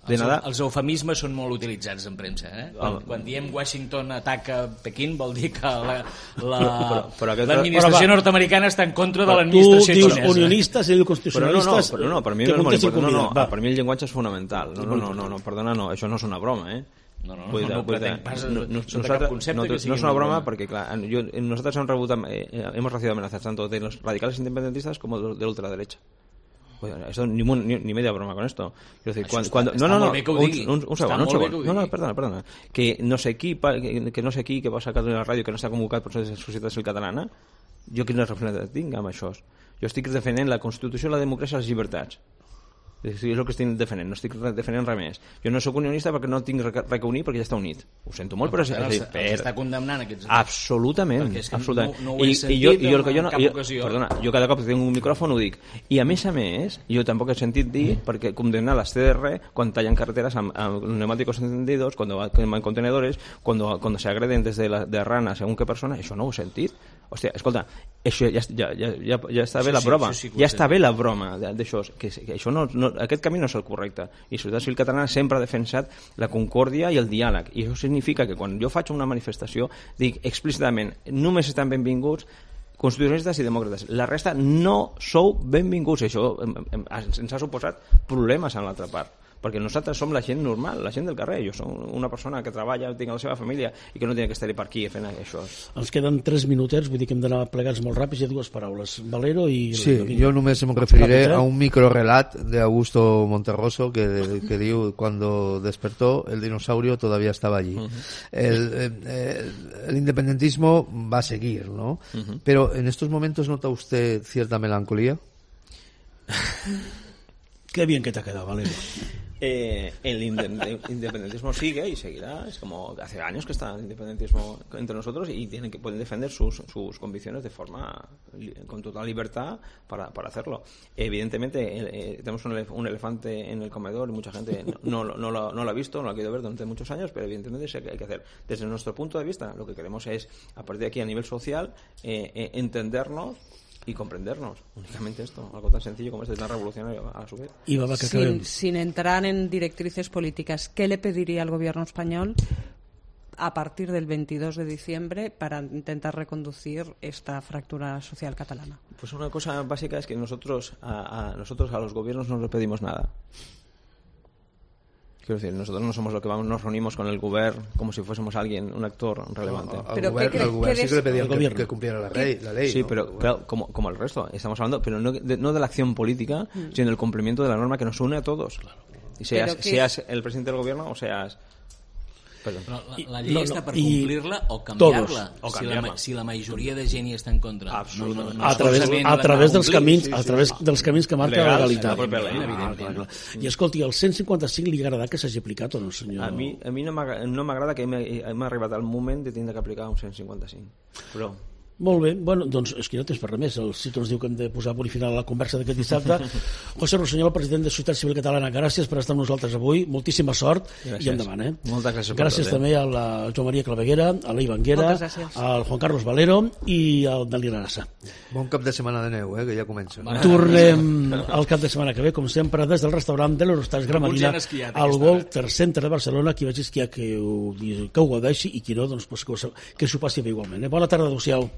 Speaker 2: de
Speaker 5: els,
Speaker 2: nada.
Speaker 5: Els eufemismes són molt utilitzats en premsa eh? quan, oh. quan diem Washington ataca Pequín vol dir que l'administració la, nord-americana està en contra de l'administració xinesa.
Speaker 1: Tu dius unionistes i diu constitucionalistes.
Speaker 2: Però no, no, no, per mi, no, no, no, no, per mi el llenguatge és fonamental. No, no, no, no, no, perdona, no, això no és una broma, eh?
Speaker 5: No, no, no, no, pretenc pas no, no,
Speaker 2: sota cap concepte no, que sigui no és una broma, perquè clar, jo, nosotros hemos, rebut, eh, hemos recibido amenazas tanto de los radicales independentistas como de la ultraderecha. Esto, ni, ni, ni media broma con esto. Quiero decir, cuando,
Speaker 5: està,
Speaker 2: cuando,
Speaker 5: no,
Speaker 2: no, no,
Speaker 5: no, un,
Speaker 2: un, un segon, un segon. No, no, perdona, perdona. Que no sé qui, que, que no sé qui que va sacar de la ràdio que no està convocat per la Societat Civil Catalana, jo quina responsabilitat tinc amb això? Jo estic defendent la Constitució, la democràcia i les llibertats. És el que estic defendent, no estic defendent res més. Jo no sóc unionista perquè no tinc res que unir perquè ja està unit. Ho sento molt, però...
Speaker 5: Els, els per... està condemnant aquests...
Speaker 2: Absolutament. absolutament.
Speaker 5: No, no ho he sentit I, i jo, i jo, el que jo no,
Speaker 2: cap ocasió. Perdona, jo cada cop que tinc un micròfon ho dic. I a més a més, jo tampoc he sentit dir, perquè condemnar les C D R quan tallan carreteres amb, amb neumáticos encendidos, cuando van contenedores, cuando, cuando se agreden desde la, de rana según qué persona, això no ho he sentit. Hòstia, escolta, això ja, ja, ja, ja, ja està bé sí, la broma, sí, sí, ja està bé la broma d'això, que, que això no, no, aquest camí no és el correcte, i la Societat Civil Catalana sempre ha defensat la concòrdia i el diàleg, i això significa que quan jo faig una manifestació dic explícitament, només estan benvinguts constitucionalistes i demòcrates, la resta no sou benvinguts, i això ens ha suposat problemes en l'altra part, perquè nosaltres som la gent normal, la gent del carrer. Jo som una persona que treballa, tinc la seva família i que no té que estar per aquí fent això.
Speaker 1: Ens queden tres minutets, vull dir que hem d'anar plegats molt ràpids. Hi ha dues paraules, Valero i...
Speaker 6: Sí, jo només em referiré a un microrelat de Augusto Monterroso que, que diu cuando despertó el dinosaurio todavía estaba allí. Uh -huh. el, el, el independentismo va a seguir, ¿no? Uh -huh. Pero en estos momentos ¿nota usted cierta melancolía?
Speaker 1: Qué bien que te ha quedado, Valero.
Speaker 2: Eh, el independentismo sigue y seguirá. Es como hace años que está el independentismo entre nosotros y tienen que pueden defender sus, sus convicciones de forma con total libertad para, para hacerlo. Evidentemente eh, tenemos un, elef un elefante en el comedor y mucha gente no, no, no, lo, no lo ha visto, no lo ha querido ver durante muchos años, pero evidentemente es que hay que hacer. Desde nuestro punto de vista, lo que queremos es, a partir de aquí a nivel social, eh, eh, entendernos y comprendernos, únicamente esto, algo tan sencillo como este, tan revolucionario a su vez.
Speaker 1: Y va, va, que
Speaker 3: sin, sin entrar en directrices políticas, ¿qué le pediría al gobierno español a partir del veintidós de diciembre para intentar reconducir esta fractura social catalana?
Speaker 2: Pues una cosa básica es que nosotros a, a nosotros a los gobiernos no les pedimos nada. Quiero decir, nosotros no somos lo que vamos, nos reunimos con el gobierno como si fuésemos alguien, un actor relevante.
Speaker 6: No, al gobierno, al gobierno sí que le pedían que, que cumpliera la ley, la ley.
Speaker 2: Sí,
Speaker 6: ¿no?
Speaker 2: pero claro, como, como el resto, estamos hablando, pero no de, no de la acción política, mm. sino del cumplimiento de la norma que nos une a todos. Claro. Y seas, que... seas el presidente del gobierno o seas...
Speaker 5: Perdón. Però la, la llei I, està per complir-la o canviar-la
Speaker 2: o
Speaker 5: si, la, si la majoria de gent hi està en contra.
Speaker 2: Absolutament.
Speaker 1: No, no, no, a través, a través dels camins, sí, sí, a través sí. dels camins que marca
Speaker 2: Legals,
Speaker 1: la legalitat.
Speaker 2: La
Speaker 1: ah, clar, clar, clar. I escolti, el cent cinquanta cinc li agrada que s'hagi aplicat o no, senyor?
Speaker 2: A mi, a mi no m'agrada que hem arribat al moment de tindre que aplicar un cent cinquanta cinc. Però
Speaker 1: Molt bé, bueno, doncs és que no tens per res més. El Cito ens diu que hem de posar punt final a la conversa d'aquest dissabte. José Rossinyol, president de Societat Civil Catalana, gràcies per estar amb nosaltres avui, moltíssima sort gràcies. I endavant. Eh?
Speaker 2: Moltes gràcies.
Speaker 1: Gràcies tot, també eh? a la Joan Maria Claveguera, a l'Ei Banguera, al Juan Carlos Valero i al Dalí Arassa.
Speaker 6: Bon cap de setmana de neu, eh, que ja comença.
Speaker 1: Tornem al cap de setmana que ve, com sempre, des del restaurant de l'Eurostars Gramadina al Walter Center de Barcelona. Qui vagi esquiar que ho, que ho gaudeixi i qui no, doncs, pues, que s'ho passi bé igualment. Eh? Bona tarda, adéu-siau.